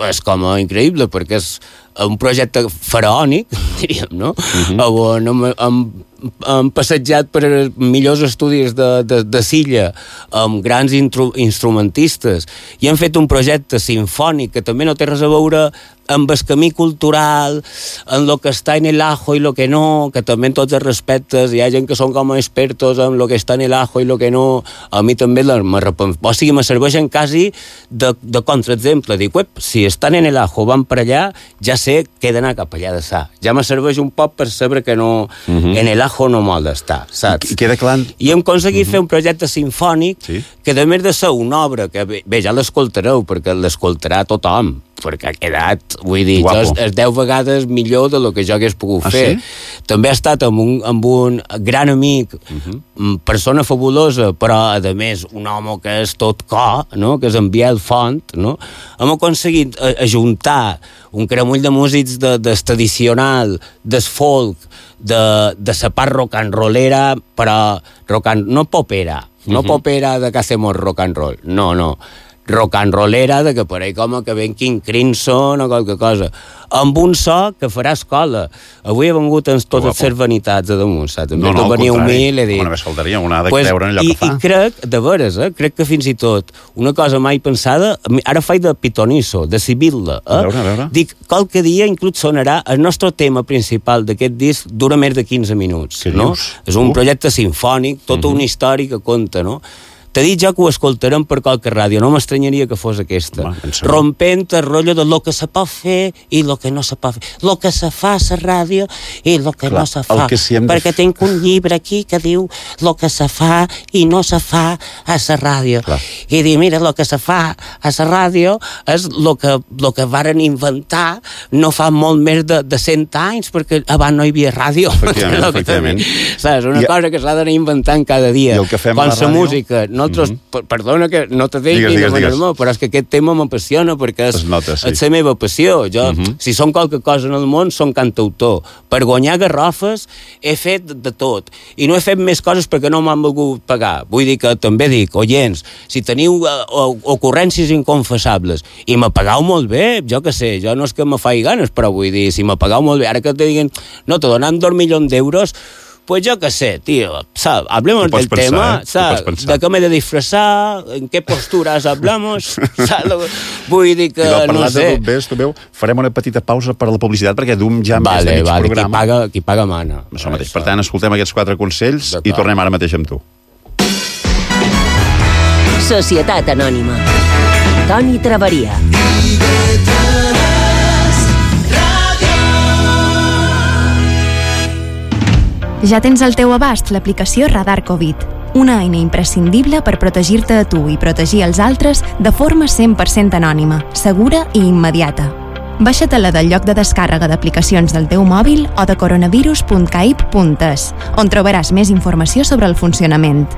Speaker 5: és com increïble, perquè és un projecte faraònic, diríem, no? On hem passejat per millors estudis de Silla amb grans instrumentistes i hem fet un projecte sinfònic que també no té res a veure amb el camí cultural, en lo que està en el ajo i lo que no, que també en tots els respectes hi ha gent que són com expertos en lo que està en el ajo i lo que no. A mi també o sigui, me serveixen quasi de contraexemple. Dic, si estan en el ajo, van per allà, ja sé que he d'anar cap allà de sa. Ja me serveix un poc per saber que no, en el ajo no m'ha d'estar, saps?
Speaker 4: I queda clar...
Speaker 5: I hem aconseguit fer un projecte sinfònic que, a més de ser una obra que, bé, ja l'escoltareu, perquè l'escoltarà tothom, perquè ha quedat, vull dir, és 10 vegades millor de lo que jo hagués pogut fer. Sí? També ha estat amb un gran amic, persona fabulosa, però, a més, un home que és tot cor, no? Que és en Biel Font, no? Hem aconseguit ajuntar un caramull de músics del tradicional, del folk, de la part rock and rollera, però no popera, no popera de que hacemos rock and roll, no. Rock and rollera, de que per ahí com que ven King Crimson o qualque cosa, amb un so que farà escola. Avui he vengut amb totes les vanitats a damunt, saps?
Speaker 4: No, al
Speaker 5: contrari.
Speaker 4: Una vez faltaria, una ha de creure en allò que fa.
Speaker 5: I crec, de veres, crec que fins i tot una cosa mai pensada, ara faig de pitonisso, de Sibilla,
Speaker 4: A veure.
Speaker 5: Dic, qualque dia inclús sonarà el nostre tema principal d'aquest disc, dura més de 15 minuts, no? És un projecte sinfònic, tota una història que conta, no? T'he dit ja que ho escoltarem per qualque ràdio, no m'estranyaria que fos aquesta. Rompent el rotllo de lo que se pot fer i lo que no se pot fer. Lo que se fa a la ràdio i lo que no se fa. Perquè tinc un llibre aquí que diu lo que se fa i no se fa a la ràdio. I dic, mira, lo que se fa a la ràdio és lo que varen inventar no fa molt més de 100 anys, perquè abans no hi havia ràdio.
Speaker 4: Efectivament.
Speaker 5: Saps? Una cosa que s'ha d'anar inventant cada dia.
Speaker 4: I el que fem a la ràdio...
Speaker 5: música... Nosaltres, perdona que no te digui, però és que aquest tema m'apassiona perquè és la meva passió. Jo, si som qualque cosa en el món, som cantautor. Per guanyar garrofes he fet de tot. I no he fet més coses perquè no m'han volgut pagar. Vull dir que també dic, oients, si teniu ocurrències inconfessables i me pagau molt bé, jo que sé, jo no és que me faci ganes, però vull dir, si me pagau molt bé, ara que te diguin, no, te donem 2 milions d'euros, pues yo qué sé, tío, ¿sabes? Hablemos del tema, ¿sabes? ¿De qué me he de disfrazar? ¿En qué posturas hablamos? ¿Sabes? Vull dir que, no sé...
Speaker 4: Farem una petita pausa per a la publicitat, perquè dum ja més de mig programa.
Speaker 5: Qui paga mana.
Speaker 4: Això mateix. Per tant, escoltem aquests 4 consells i tornem ara mateix amb tu.
Speaker 3: Societat Anònima. Toni Traveria.
Speaker 6: Ja tens al teu abast l'aplicació Radar Covid, una eina imprescindible per protegir-te a tu i protegir els altres de forma 100% anònima, segura i immediata. Baixa-te-la del lloc de descàrrega d'aplicacions del teu mòbil o de coronavirus.caip.es, on trobaràs més informació sobre el funcionament.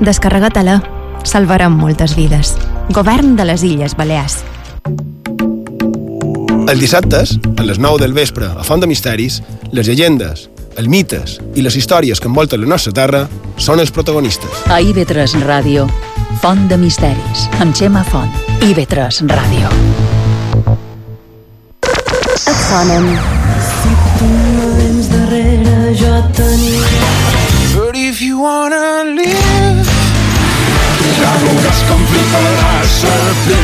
Speaker 6: Descarrega-te-la. Salvarem moltes vides. Govern de les Illes Balears.
Speaker 7: Els dissabtes, a les 9 del vespre, a Font de Misteris, les llegendes, els mites i les històries que envolten la nostra terra són els protagonistes.
Speaker 2: A IB3 Ràdio, Font de Misteris, amb Xema Font. IB3 Ràdio.
Speaker 8: Et sonen. Si tu no vens darrere, jo tenia. But if you wanna live, ja veuràs com fliparàs sempre.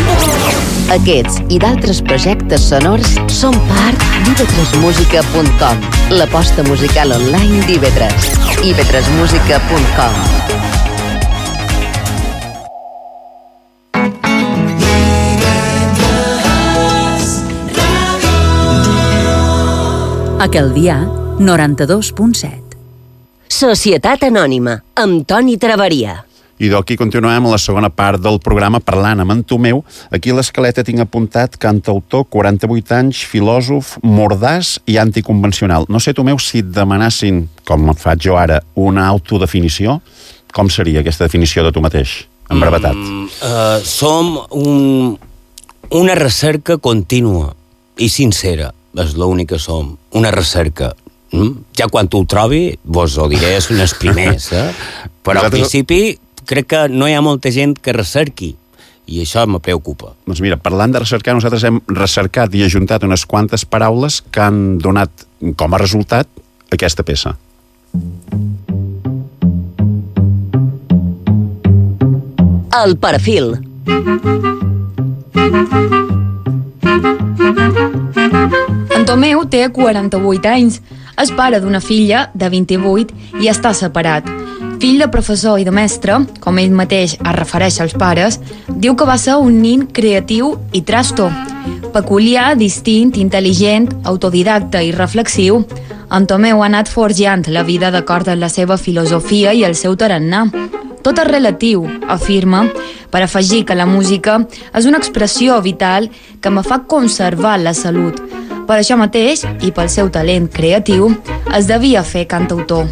Speaker 3: Aquests i d'altres projectes sonors són part d'ib3musica.com, l'aposta musical online d'IB3. ib3musica.com.
Speaker 2: Aquell dia, 92.7.
Speaker 3: Societat Anònima, amb Toni Traveria.
Speaker 4: I d'aquí continuem a la segona part del programa parlant amb en Tomeu. Aquí a l'escaleta tinc apuntat cantautor, 48 anys, filòsof, mordaç i anticonvencional. No sé, Tomeu, si et demanassin, com faig jo ara, una autodefinició, com seria aquesta definició de tu mateix, en brevetat?
Speaker 5: Som una recerca contínua i sincera, és l'únic que som, una recerca. Ja quan tu ho trobi, vos ho diré, són els primers, però al principi crec que no hi ha molta gent que recerqui, i això me preocupa.
Speaker 4: Doncs mira, parlant de recercar, nosaltres hem recercat i ajuntat unes quantes paraules que han donat com a resultat aquesta peça.
Speaker 3: El perfil.
Speaker 9: En Tomeu té 48 anys, és pare d'una filla de 28 i està separat. Fill de professor i de mestre, com ell mateix es refereix als pares, diu que va ser un nin creatiu i trasto. Peculiar, distint, intel·ligent, autodidacta i reflexiu, en Tomeu ha anat forjant la vida d'acord amb la seva filosofia i el seu tarannà. Tot és relatiu, afirma, per afegir que la música és una expressió vital que me fa conservar la salut. Per això mateix, i pel seu talent creatiu, es devia fer cantautor.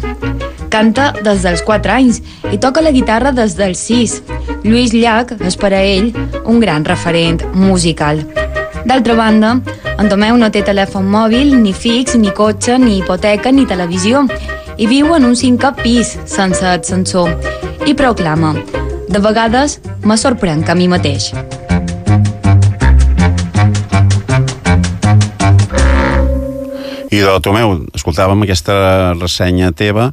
Speaker 9: Canta des dels 4 anys i toca la guitarra des dels 6. Lluís Llach és per a ell un gran referent musical. D'altra banda, en Tomeu no té telèfon mòbil, ni fix, ni cotxe, ni hipoteca, ni televisió, i viu en un 5è pis, sense ascensor, i proclama: de vegades me sorprenc a mi mateix.
Speaker 4: I de Tomeu, escoltàvem aquesta ressenya teva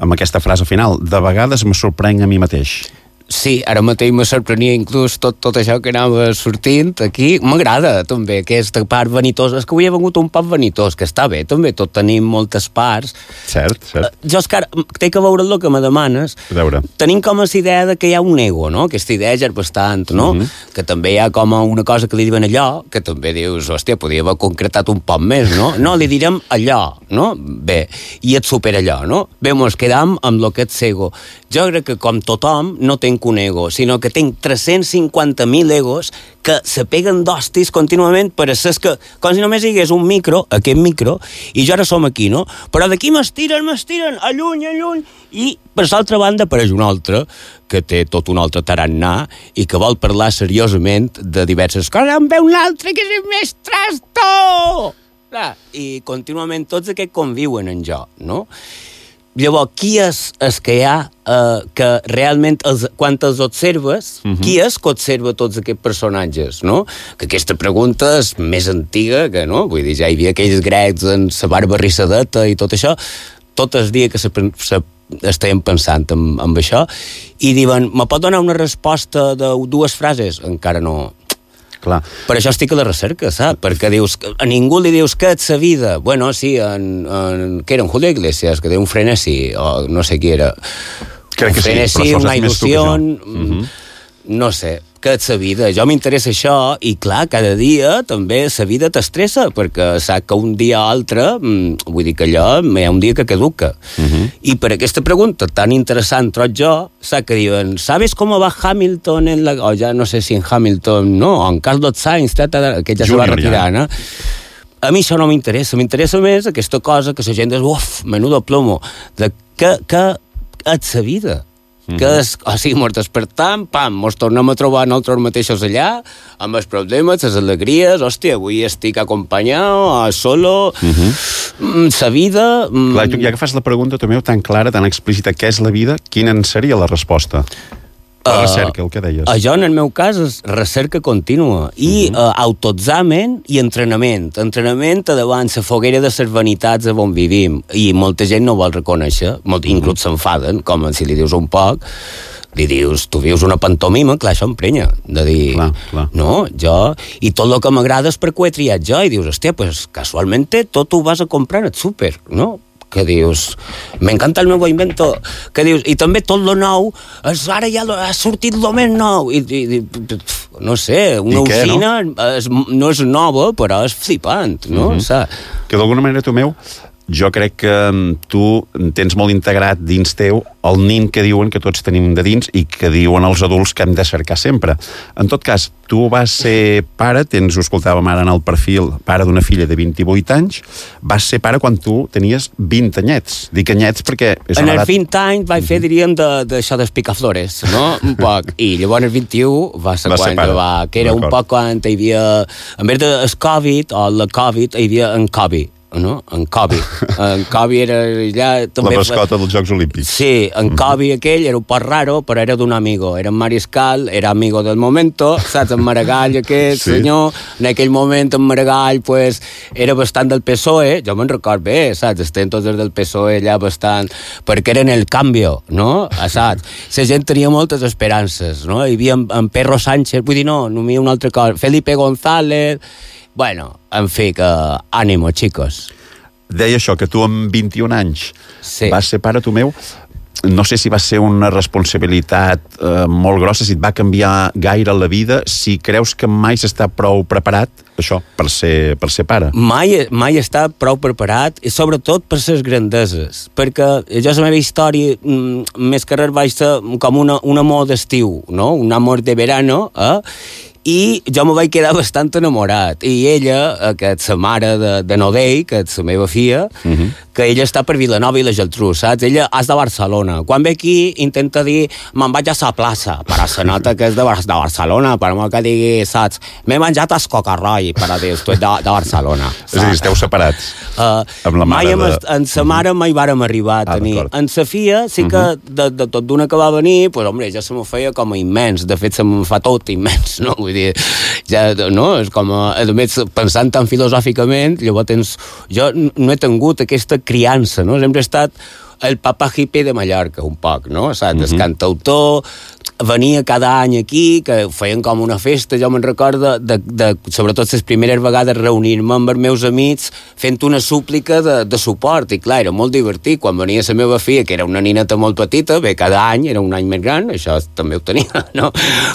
Speaker 4: amb aquesta frase final: de vegades me sorprenc a mi mateix.
Speaker 5: Sí, ara mateix me sorprenia inclús tot això que anava sortint aquí. M'agrada també aquesta part vanitosa. És que avui he vengut un poc vanitós, que està bé, també tot tenim moltes parts.
Speaker 4: Cert.
Speaker 5: Jo, Òscar, té que veure el que me demanes.
Speaker 4: A veure.
Speaker 5: Tenim com a idea de que hi ha un ego, no? Aquesta idea ja és bastant, no? Que també hi ha com una cosa que li diuen allò, que també dius, hòstia, podria haver concretat un poc més, no? No, li direm allò, no? Bé, i et supera allò, no? Bé, mos quedam amb lo que ets ego. Jo crec que com tothom no tenc un ego, sinó que tinc 350.000 egos que se peguen d'hostis contínuament per a ser que, com si només hi hagués un micro, aquest micro, i jo ara som aquí, no? Però d'aquí m'estiren, alluny, i per l'altra banda apareix un altre que té tot un altre tarannà i que vol parlar seriosament de diverses coses. En ve un altre que és més trasto! I contínuament tots aquests conviuen en jo, no? Llavors, qui és el que hi ha que realment, quan els observes, qui és que observa tots aquests personatges, no? Que aquesta pregunta és més antiga que, no? Vull dir, ja hi havia aquells grecs en la barba rissadeta i tot això, tot el dia que estàvem pensant en això, i diuen, me pot donar una resposta de 2 frases? Encara no.
Speaker 4: Clar.
Speaker 5: Per això estic a la recerca, saps? Perquè dius, a ningú li dius que és sa vida. Bueno, sí, que era en Julio Iglesias, que té un frenesi, o no sé qui era.
Speaker 4: Crec que
Speaker 5: frenesi,
Speaker 4: sí,
Speaker 5: una il·lusió, no sé, que és sa vida. Jo m'interessa això, i clar, cada dia també sa vida t'estressa, perquè saps que un dia o altre, vull dir que allò, hi ha un dia que caduca. I per aquesta pregunta tan interessant trob jo, saps que diuen, ¿sabes cómo va Hamilton en la... o ja no sé si en Hamilton, no, o en Carlos Sainz, que ja se va retirar, no? A mi això no m'interessa més aquesta cosa que la gent diu, uf, menudo plomo, de que és sa vida. Que és, o sigui, mos despertam, pam, mos tornem a trobar nosaltres mateixos allà, amb els problemes, les alegries, hòstia, avui estic acompanyat, solo, sa vida...
Speaker 4: Clar, tu ja que fas la pregunta, Tomeu, tan clara, tan explícita, què és la vida, quina en seria la resposta? La recerca, el que deies.
Speaker 5: Això, en el meu cas, és recerca contínua i autoexamen i entrenament. Entrenament davant la foguera de les vanitats on vivim, i molta gent no vol reconèixer, inclús s'enfaden, com si li dius un poc, li dius, tu vius una pantomima, clar, això emprenya, de dir,
Speaker 4: clar.
Speaker 5: No, jo, i tot el que m'agrada és perquè ho he triat jo, i dius, hòstia, pues casualment tot ho vas a comprar al súper, no? Que dius, m'encanta el meu invento, que dius, i també tot lo nou, ara ja ha sortit lo més nou, i no sé, una usina no és nova, però és flipant, no?
Speaker 4: Que d'alguna manera, Tomeu, jo crec que tu tens molt integrat dins teu el nin que diuen que tots tenim de dins i que diuen els adults que hem de cercar sempre. En tot cas, tu vas ser pare, ho escoltàvem ara en el perfil, pare d'una filla de 28 anys, vas ser pare quan tu tenies 20 anyets. Dic anyets perquè...
Speaker 5: En els 20 anys vaig fer, diríem, d'això d'espicaflores, no? Un poc. I llavors el 21 va ser quan que era un poc quan hi havia, en vez del Covid o la Covid, hi havia en Covid, no? En Kobe. En Kobe era allà... També
Speaker 4: la mascota dels Jocs Olímpics.
Speaker 5: Sí, en Kobe aquell era un poc raro, però era d'un amigo. Era en Mariscal, era amigo del momento, saps? En Maragall aquest senyor, en aquell moment en Maragall, pues, era bastant del PSOE, jo me'n record bé, saps? Estem tots des del PSOE allà bastant, perquè eren el canvio, no? Saps? La gent tenia moltes esperances, no? Hi havia en Perro Sánchez, vull dir, no hi havia un altre cosa, Felipe González... Bueno, en fi, que ànimo, chicos.
Speaker 4: Deia això, que tu amb 21 anys vas ser pare, tu meu. No sé si va ser una responsabilitat molt grossa, si et va canviar gaire la vida, si creus que mai s'està prou preparat, això, per ser pare.
Speaker 5: Mai està prou preparat, i sobretot per les grandeses, perquè jo la meva història, més que res vaig ser com un amor d'estiu, no? Un amor de verano, i jo me vaig quedar bastant enamorat, i ella, que és la mare de Nodell, que és la meva filla, que ella està per Vilanova i la Geltrú, saps? Ella és de Barcelona. Quan ve aquí intenta dir, me'n vaig a la plaça, però se nota que és de Barcelona, per molt que digui, saps? M'he menjat el cocarroi, per dir, tu ets de Barcelona.
Speaker 4: És a dir, esteu separats amb la mare
Speaker 5: en sa mare mai vàrem arribar a tenir. En sa filla sí que de tot d'una que va venir, pues, hombre, ja se m'ho feia com a immens, de fet se m'ho fa tot immens, no? Vull dir, ja, no? És com, a més, pensant tan filosòficament, llavors jo no he tingut aquesta criança, no? Sempre he estat el papa hippie de Mallorca, un poc, no? Saps? El cantautor, venia cada any aquí, que feien com una festa, jo me'n recordo sobretot les primeres vegades reunir-me amb els meus amics fent una súplica de suport, i clar, era molt divertit, quan venia la meva filla, que era una nineta molt petita, bé, cada any, era un any més gran, això també ho tenia, no?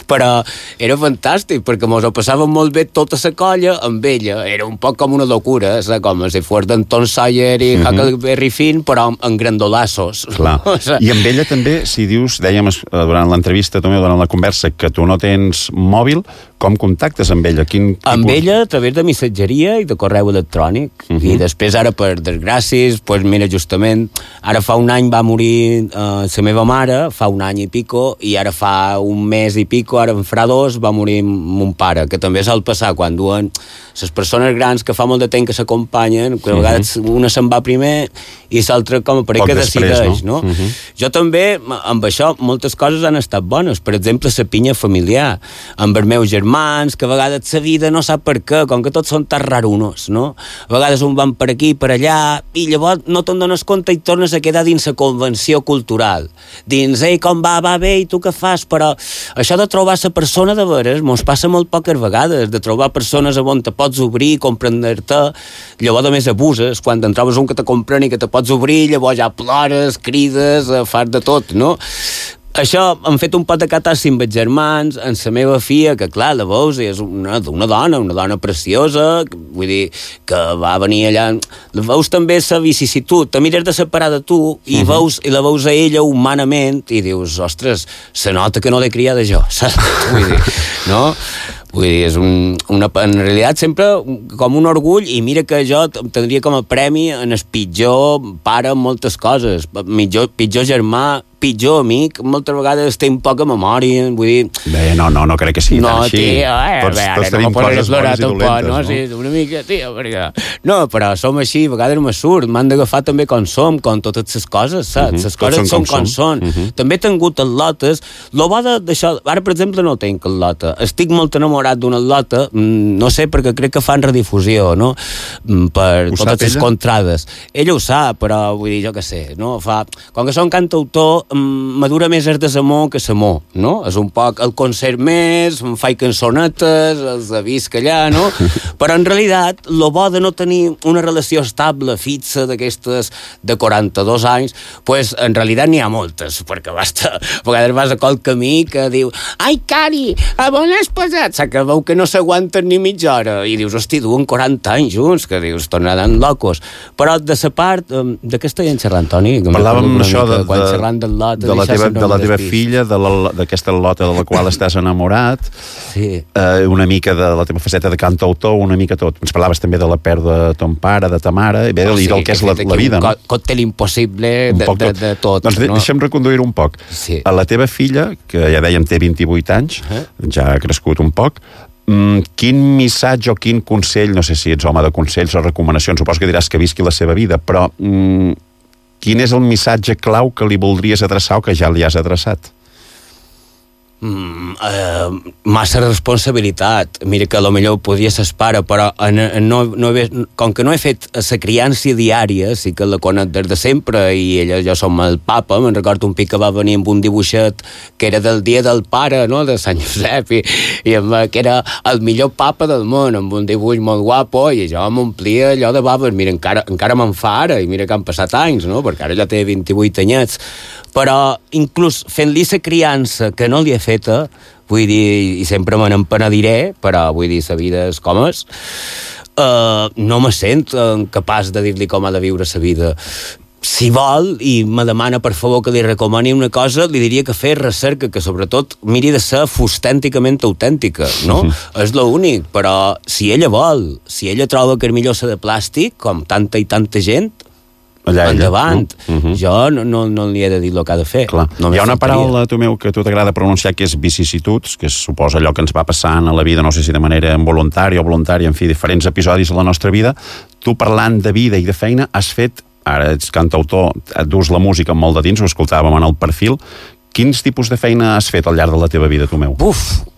Speaker 5: Però era fantàstic, perquè mos ho passàvem molt bé tota la colla amb ella, era un poc com una locura, saps? Com si fos d'Anton Sawyer i Huckleberry Finn, però en grandolassos.
Speaker 4: Clar. I amb ella també, si dius, dèiem durant l'entrevista, també durant la conversa, que tu no tens mòbil, com contactes amb ella?
Speaker 5: Amb ella a través de missatgeria i de correu electrònic. I després ara, per desgràcies, pues mira, justament, ara fa un any va morir la meva mare, fa un any i pico, i ara fa un mes i pico, ara en farà 2, va morir mon pare, que també sol passar quan duen les persones grans que fa molt de temps que s'acompanyen, que a vegades una se'n va primer i l'altra com a parell que decideix, no? Jo també, amb això, moltes coses han estat bones. Per exemple, la pinya familiar, amb els meus germans, que a vegades la vida no sap per què, com que tots són tan rarunos, no? A vegades un van per aquí, per allà, i llavors no te'n dones compte i tornes a quedar dins la convenció cultural. Dins, ei, com va bé, i tu què fas? Però això de trobar la persona de veres mos passa molt poques vegades, de trobar persones on te pots obrir, comprendre-te, llavors a més abuses, quan te'n trobes un que te comprèn i que te pots obrir, llavors ja plores, crides, fas de tot, no? Això hem fet un pot de catàssim amb els germans, amb la meva filla, que clar, la veus, és una dona preciosa, vull dir, que va venir allà, la veus també la vicisitud, te mires de separar de tu i la veus a ella humanament i dius, ostres, se nota que no l'he criada jo, saps? Vull dir, no? Vull dir, és en realitat sempre com un orgull, i mira que jo tindria com a premi en el pitjor pare en moltes coses, pitjor germà, pitjor amic, moltes vegades té poca memòria, vull dir...
Speaker 4: Bé, no crec que sigui tan així. Tots tenim coses bones i dolentes, no?
Speaker 5: Sí, una mica, tio, perquè... No, però som així, a vegades me surt, m'han d'agafar també com som, com totes les coses, saps? Les coses són com són. També he tingut al·lotes, lo bo d'això, ara per exemple no tinc al·lota, estic molt enamorat d'una al·lota, no sé, perquè crec que fan redifusió, no? Per totes les contrades. Ella ho sap, però vull dir, jo què sé, no? Com que som cantautor, madura més el desamor que l'amor, no? És un poc el concert més, em faig cançonetes, els avis que allà, no? Però en realitat, lo bo de no tenir una relació estable, fixa, d'aquestes de 42 anys, pues en realitat n'hi ha moltes, perquè basta, a vegades vas a qual camí que diu ai, Cari, a on has posat? S'acabeu que no s'aguanten ni mitja hora, i dius, hosti, duen 40 anys junts, que dius, tornaran locos. Però de sa part, de què estem xerrant, Toni?
Speaker 4: Parlàvem això de
Speaker 5: la
Speaker 4: teva filla, d'aquesta lota de la qual estàs enamorat,
Speaker 5: sí.
Speaker 4: Una mica de la teva faceta de cantautor, una mica tot. Ens parlaves també de la pèrdua de ton pare, de ta mare, i del que és la vida, no?
Speaker 5: Un còctel impossible de tot.
Speaker 4: Doncs deixa'm reconduir un poc.
Speaker 5: Sí.
Speaker 4: A la teva filla, que ja dèiem té 28 anys, ja ha crescut un poc, quin missatge o quin consell, no sé si ets home de consells o recomanacions, suposo que diràs que visqui la seva vida, però quin és el missatge clau que li voldries adreçar o que ja li has adreçat?
Speaker 5: Massa responsabilitat. Mira que potser ho podia ser pare, però com que no he fet la criança diària, sí que la conec des de sempre, i jo som el papa. Me'n recordo un pic que va venir amb un dibuixet que era del dia del pare, no?, de Sant Josep, i que era el millor papa del món, amb un dibuix molt guapo, i jo m'omplia allò de baves. Mira, encara me'n fa ara, i mira que han passat anys, no?, perquè ara ja té 28 anyets. Però inclús fent-li la criança que no li he feta, vull dir, i sempre me n'empenediré, però vull dir, la vida és com és, no me sent capaç de dir-li com ha de viure la vida. Si vol i me demana per favor que li recomani una cosa, li diria que fes recerca, que sobretot miri de ser fustènticament autèntica, no? És l'únic, però si ella vol, si ella troba que és millor ser de plàstic, com tanta i tanta gent, endavant. Jo no li he de dir el que ha de fer.
Speaker 4: Hi ha una paraula, tu meu, que a tu t'agrada pronunciar, que és vicissituds, que suposa allò que ens va passant a la vida, no sé si de manera involuntària o voluntària, en fi, diferents episodis de la nostra vida. Tu, parlant de vida i de feina, has fet, ara ets cantautor, dus la música molt de dins, ho escoltàvem en el perfil. Quins tipus de feina has fet al llarg de la teva vida, tu meu?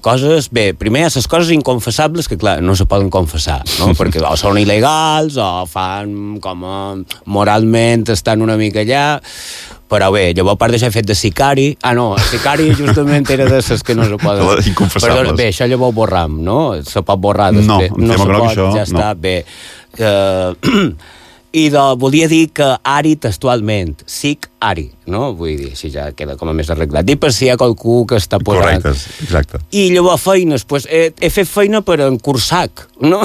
Speaker 5: Coses... Bé, primer, les coses inconfessables que, clar, no se poden confessar, no? Perquè o són il·legals o fan com moralment estan una mica allà, però bé, llavors a part d'això he fet de sicari. Sicari justament era de les que no se poden...
Speaker 4: Inconfessables.
Speaker 5: Bé, això llavors ho borram, no? Se pot borrar després.
Speaker 4: No se pot,
Speaker 5: això, ja està, bé. I volia dir que Ari textualment, sic Ari, no? Vull dir, així ja queda com a més arreglat. Dic per si hi ha qualcú que està posant...
Speaker 4: Correcte, exacte.
Speaker 5: I llavors feines, pues, he fet feina per en Cursac, no?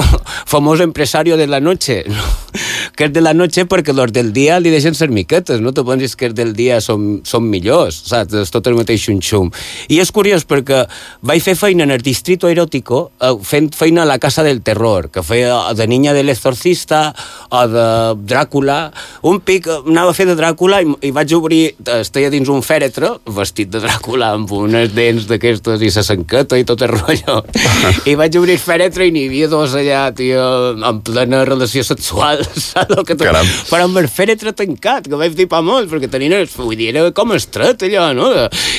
Speaker 5: Famós empresario de la noche, no? Que és de la noche perquè los del dia li deixen ser miquetes, no te pensis que els del dia són millors, saps? És tot el mateix xum-xum. I és curiós perquè vaig fer feina en el Distrito Erótico, fent feina a la Casa del Terror, que feia de Niña del Exorcista o de Dràcula. Un pic anava a fer de Dràcula i vaig obrir, estava dins un fèretre vestit de Dràcula amb unes dents d'aquestes i sa sanqueta i tot el rotllo. I vaig obrir el fèretre i n'hi havia dos allà, tio, en plena relació sexual, saps? Però amb el fèretre tancat, que vaig dir pa molt, perquè vull dir, era com estret allò, no?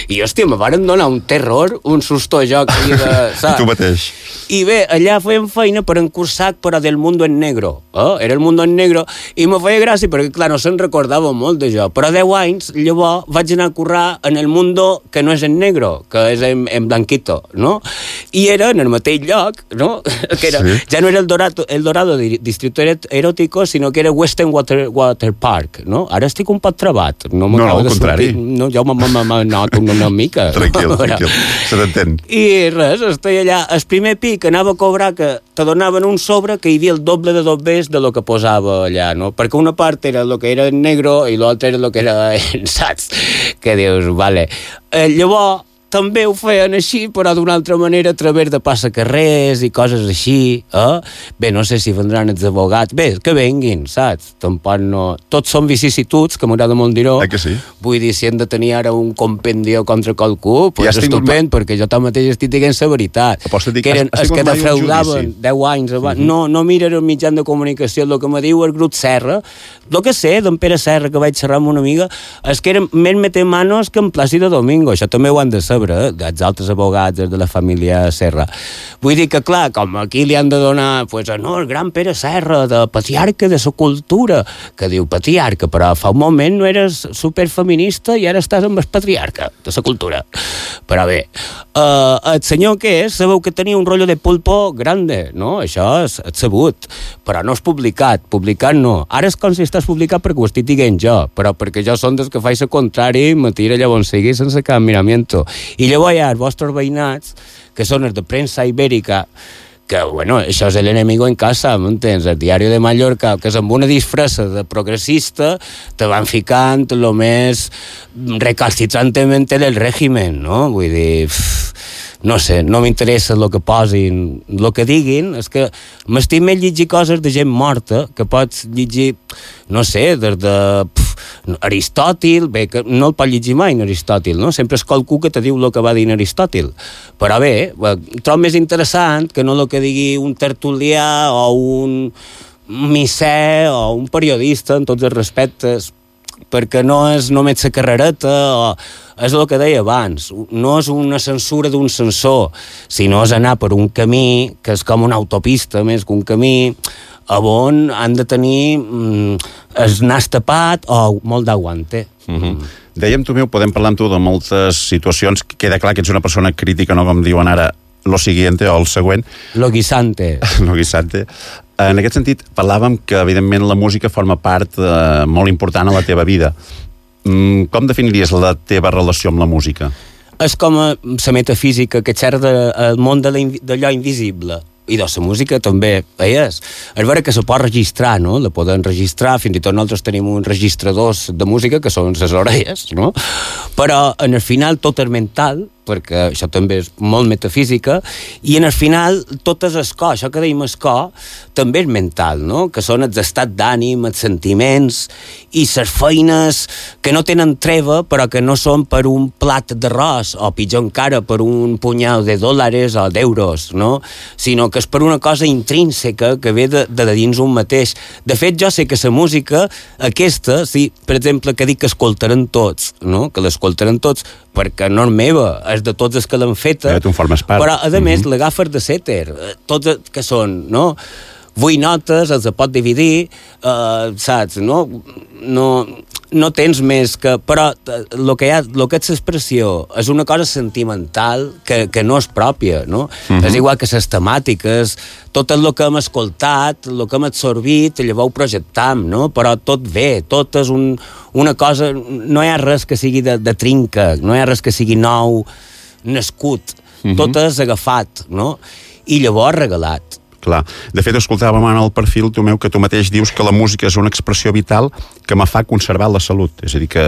Speaker 5: I hòstia, me varen donar un terror, un susto jo que havia de...
Speaker 4: I tu mateix.
Speaker 5: I bé, allà fèiem feina per en Cursac, però del Mundo en Negro. Era el Mundo en Negro, i me feia gràcia, perquè clar, no se'n recordava molt de jo, però 10 anys, llavors vaig anar a currar en el Mundo que no és en negro, que és en blanquito, no? I era en el mateix lloc, no? Que era, ja no era el Dorado Distrito Erótico, sinó que era Western Water Park, no? Ara estic un poc trabat.
Speaker 4: No, al contrari.
Speaker 5: No, jo m'anoto una mica.
Speaker 4: Tranquil, se t'entén.
Speaker 5: I res, estic allà. El primer pic anava a cobrar que te donaven un sobre que hi havia el doble de dobbers de lo que posava allà, no? Perquè una part era el que era en negro i l'altra era el que era en saps. Que dius, vale. Llavors, també ho feien així, però d'una altra manera a través de passacarrers i coses així, Bé, no sé si vendran els abogats. Bé, que venguin, saps? Tampoc no... Tots són vicissituds, que m'agrada molt dir-ho.
Speaker 4: Que sí?
Speaker 5: Vull dir, si hem de tenir ara un compendio contra qualcú, pues ja estupend, perquè jo mateix estic dient la veritat. Que eren els que defraudaven 10 anys abans. No miren el mitjan de comunicació, el que me diu el grup Serra. El que sé d'en Pere Serra, que vaig xerrar amb una amiga, és que eren més metemanos que en Plàcido Domingo. Això també ho han de ser. saber, dels altres abogats de la família Serra. Vull dir que, clar, com aquí li han de donar, pues, no, el gran Pere Serra, de patriarca de la cultura, que diu patriarca, però fa un moment no eres superfeminista i ara estàs amb el patriarca de la cultura. Però bé, el senyor que és, sabeu que tenia un rotllo de pulpo grande, no? Això és sabut, però no és publicat no. Ara és com si estàs publicat perquè ho estic dient jo, però perquè jo són dels que faig el contrari i me tira llavors seguir sense cap miramiento. I llavors hi ha els vostres veïnats, que són els de premsa ibèrica, que, bueno, això és el enemigo en casa, m'entens? El diari de Mallorca, que és amb una disfressa de progressista, te van ficant lo més recalcitrantment del règimen, no? Vull dir, no sé, no m'interessa el que posin, el que diguin, és que m'estic més llegir coses de gent morta, que pots llegir, no sé, des de Aristòtil, bé, que no el pot llegir mai en Aristòtil, no? Sempre és qualcú que te diu el que va dir en Aristòtil. Però bé, trobo més interessant que no el que digui un tertulià o un misser o un periodista, en tots els respectes, perquè no és només la carrereta, o és el que deia abans, no és una censura d'un censor, sinó és anar per un camí que és com una autopista més que un camí on han de tenir el nas tapat o molt d'aguante.
Speaker 4: Dèiem, Tomeu, podem parlar amb tu de moltes situacions, queda clar que ets una persona crítica, no com diuen ara, lo siguiente o el següent.
Speaker 5: Lo guisante.
Speaker 4: Lo guisante. En aquest sentit, parlàvem que, evidentment, la música forma part molt important a la teva vida. Com definiries la teva relació amb la música?
Speaker 5: És com la metafísica que xerra del món d'allò invisible. I de la música també és. És vera que se pot registrar, no? La poden registrar, fins i tot nosaltres tenim uns registradors de música que són les orelles, no? Però en el final tot és mental, perquè això també és molt metafísica, i en el final tot és el cor, això que dèiem el cor, també és mental, no? Que són els estats d'ànim, els sentiments, i les feines que no tenen treva, però que no són per un plat d'arròs, o pitjor encara, per un punyal de dòlars o d'euros, no? Sinó que és per una cosa intrínseca que ve de dins un mateix. De fet, jo sé que la música, aquesta, sí, per exemple, que dic que escoltaran tots, no? Que l'escoltaran tots, perquè no és meva, és de tots els que l'han feta, però a més l'agafes de sèter, tots que són, no? 8 notes, els pot dividir, saps, no? No tens més que... Però el que és l'expressió és una cosa sentimental que no és pròpia, no? És igual que les temàtiques, tot el que hem escoltat, el que hem absorbit, llavors ho projectam, no? Però tot ve, tot és una cosa... No hi ha res que sigui de trinca, no hi ha res que sigui nou, nascut. Tot és agafat, no? I llavors regalat.
Speaker 4: Clar. De fet, escoltàvem en el perfil, Tomeu, que tu mateix dius que la música és una expressió vital que me fa conservar la salut. És a dir, que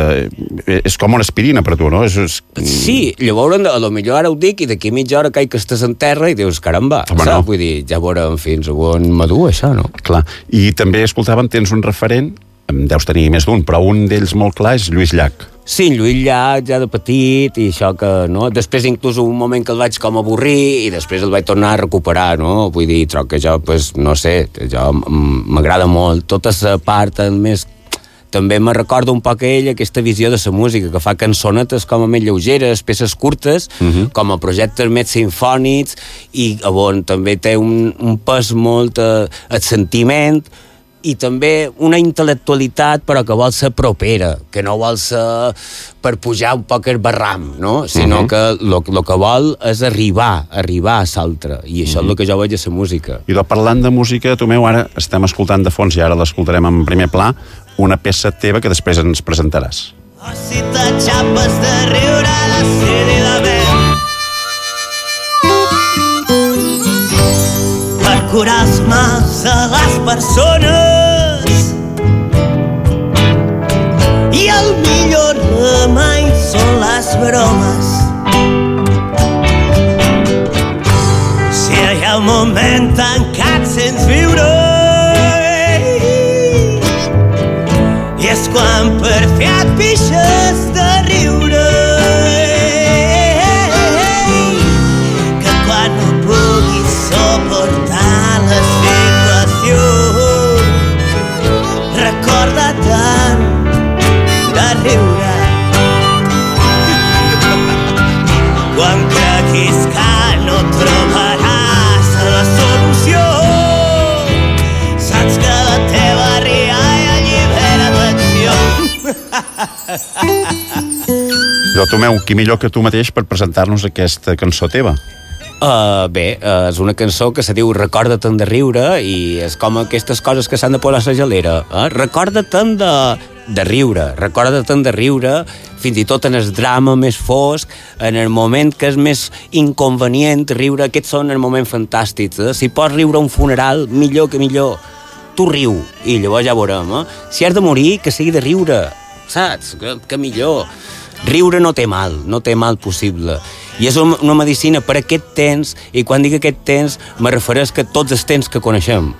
Speaker 4: és com una aspirina per tu, no?
Speaker 5: Sí, llavors, a lo millor ara ho dic i d'aquí mitja hora que estàs en terra i dius, caramba, saps? No. Vull dir, ja veurem fins on m'adu això, no?
Speaker 4: Clar. I també escoltàvem, tens un referent, deus tenir més d'un, però un d'ells molt clar és Lluís Llach.
Speaker 5: Sí, Lluís Llach, ja de petit, i això que, no? Després, inclús, un moment que el vaig com avorrir, i després el vaig tornar a recuperar, no? Vull dir, trobo que jo, pues, no sé, jo m'agrada molt. Tota la part més... També me recorda un poc a ell aquesta visió de la música, que fa cançonetes com a més lleugeres, peces curtes, com a projectes més sinfònics, i on també té un pes molt el sentiment, i també una intel·lectualitat però que vol ser propera, que no vol ser per pujar un poc el barram, no? Sinó que el que vol és arribar a l'altre, i això és el que jo veig a la música.
Speaker 4: I parlant de música, Tomeu, ara estem escoltant de fons i ara l'escoltarem en primer pla, una peça teva que després ens presentaràs.
Speaker 8: Oh, si t'aixapes de riure a la sèrie de vent per curar els mals de les persones, i el millor remei són les bromes. Si hi ha un moment tancat sense viure, i és quan per fi et pixes de riure, que quan no puguis suportar la situació, recorda tant de riure.
Speaker 4: Tomeu, qui millor que tu mateix per presentar-nos aquesta cançó teva?
Speaker 5: Bé, és una cançó que se diu Recorda-te'n de riure i és com aquestes coses que s'han de posar a la gelera. Recorda-te'n de riure, recorda-te'n de riure fins i tot en el drama més fosc, en el moment que és més inconvenient riure, aquests són els moments fantàstics. Si pots riure a un funeral, millor que millor. Tu riu i llavors ja veurem. Si has de morir, que sigui de riure, saps? Que millor. Riure no té mal possible. I és una medicina per aquest temps, i quan dic aquest temps me refereix que tots els temps que coneixem,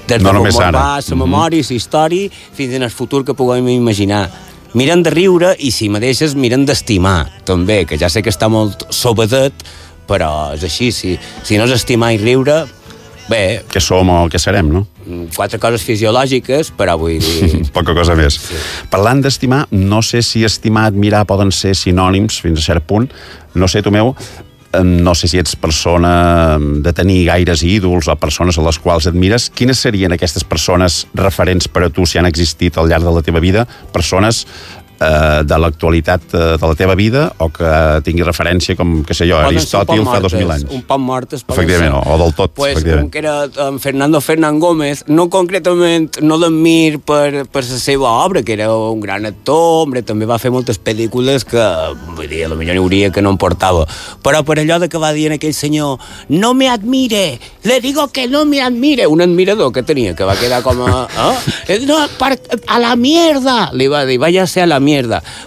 Speaker 5: des
Speaker 4: no
Speaker 5: de
Speaker 4: només ara.
Speaker 5: La memòria, la història, fins en el futur que puguem imaginar. Miren de riure i, si me deixes, miren d'estimar, també, que ja sé que està molt sobedet, però és així, si no és estimar i riure, bé...
Speaker 4: Que som o que serem, no?
Speaker 5: 4 coses fisiològiques, però vull dir...
Speaker 4: Poca cosa més.
Speaker 5: Sí.
Speaker 4: Parlant d'estimar, no sé si estimar, admirar poden ser sinònims fins a cert punt. No sé, Tomeu, no sé si ets persona de tenir gaires ídols o persones a les quals admires. Quines serien aquestes persones referents per a tu, si han existit al llarg de la teva vida? Persones de l'actualitat de la teva vida o que tingui referència com, que sé jo, Aristòtil fa 2.000 anys.
Speaker 5: Un poc mortes.
Speaker 4: Efectivament, o del tot.
Speaker 5: Pues un que era Fernando Fernán Gómez, no concretament, no l'admir per la seva obra, que era un gran actor, hombre, també va fer moltes pel·lícules que, vull dir, potser n'hi hauria que no em portava. Però per allò de que va dir aquell senyor, no me admire, le digo que no me admire, un admirador que tenia, que va quedar com a... No, a la mierda, li va dir, vaya a ser a la mierda.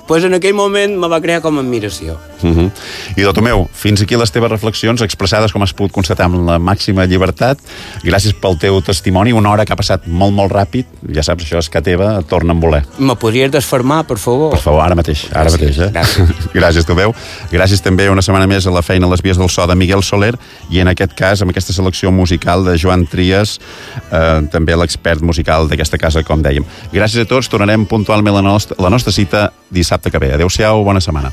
Speaker 5: Pues en aquell moment me va crear com a admiració.
Speaker 4: I Tomeu, fins aquí les teves reflexions expressades, com has pogut constatar, amb la màxima llibertat. Gràcies pel teu testimoni, una hora que ha passat molt, molt ràpid. Ja saps, això és que teva, torna a voler.
Speaker 5: Me podries desfermar, per favor?
Speaker 4: Per favor, ara mateix, Gràcies, Tomeu. Gràcies també una setmana més a la feina a les vies del so de Miguel Soler i en aquest cas, amb aquesta selecció musical de Joan Trias, també l'expert musical d'aquesta casa, com dèiem. Gràcies a tots, tornarem puntualment a la nostra cita dissabte que ve. Adéu-siau, bona setmana.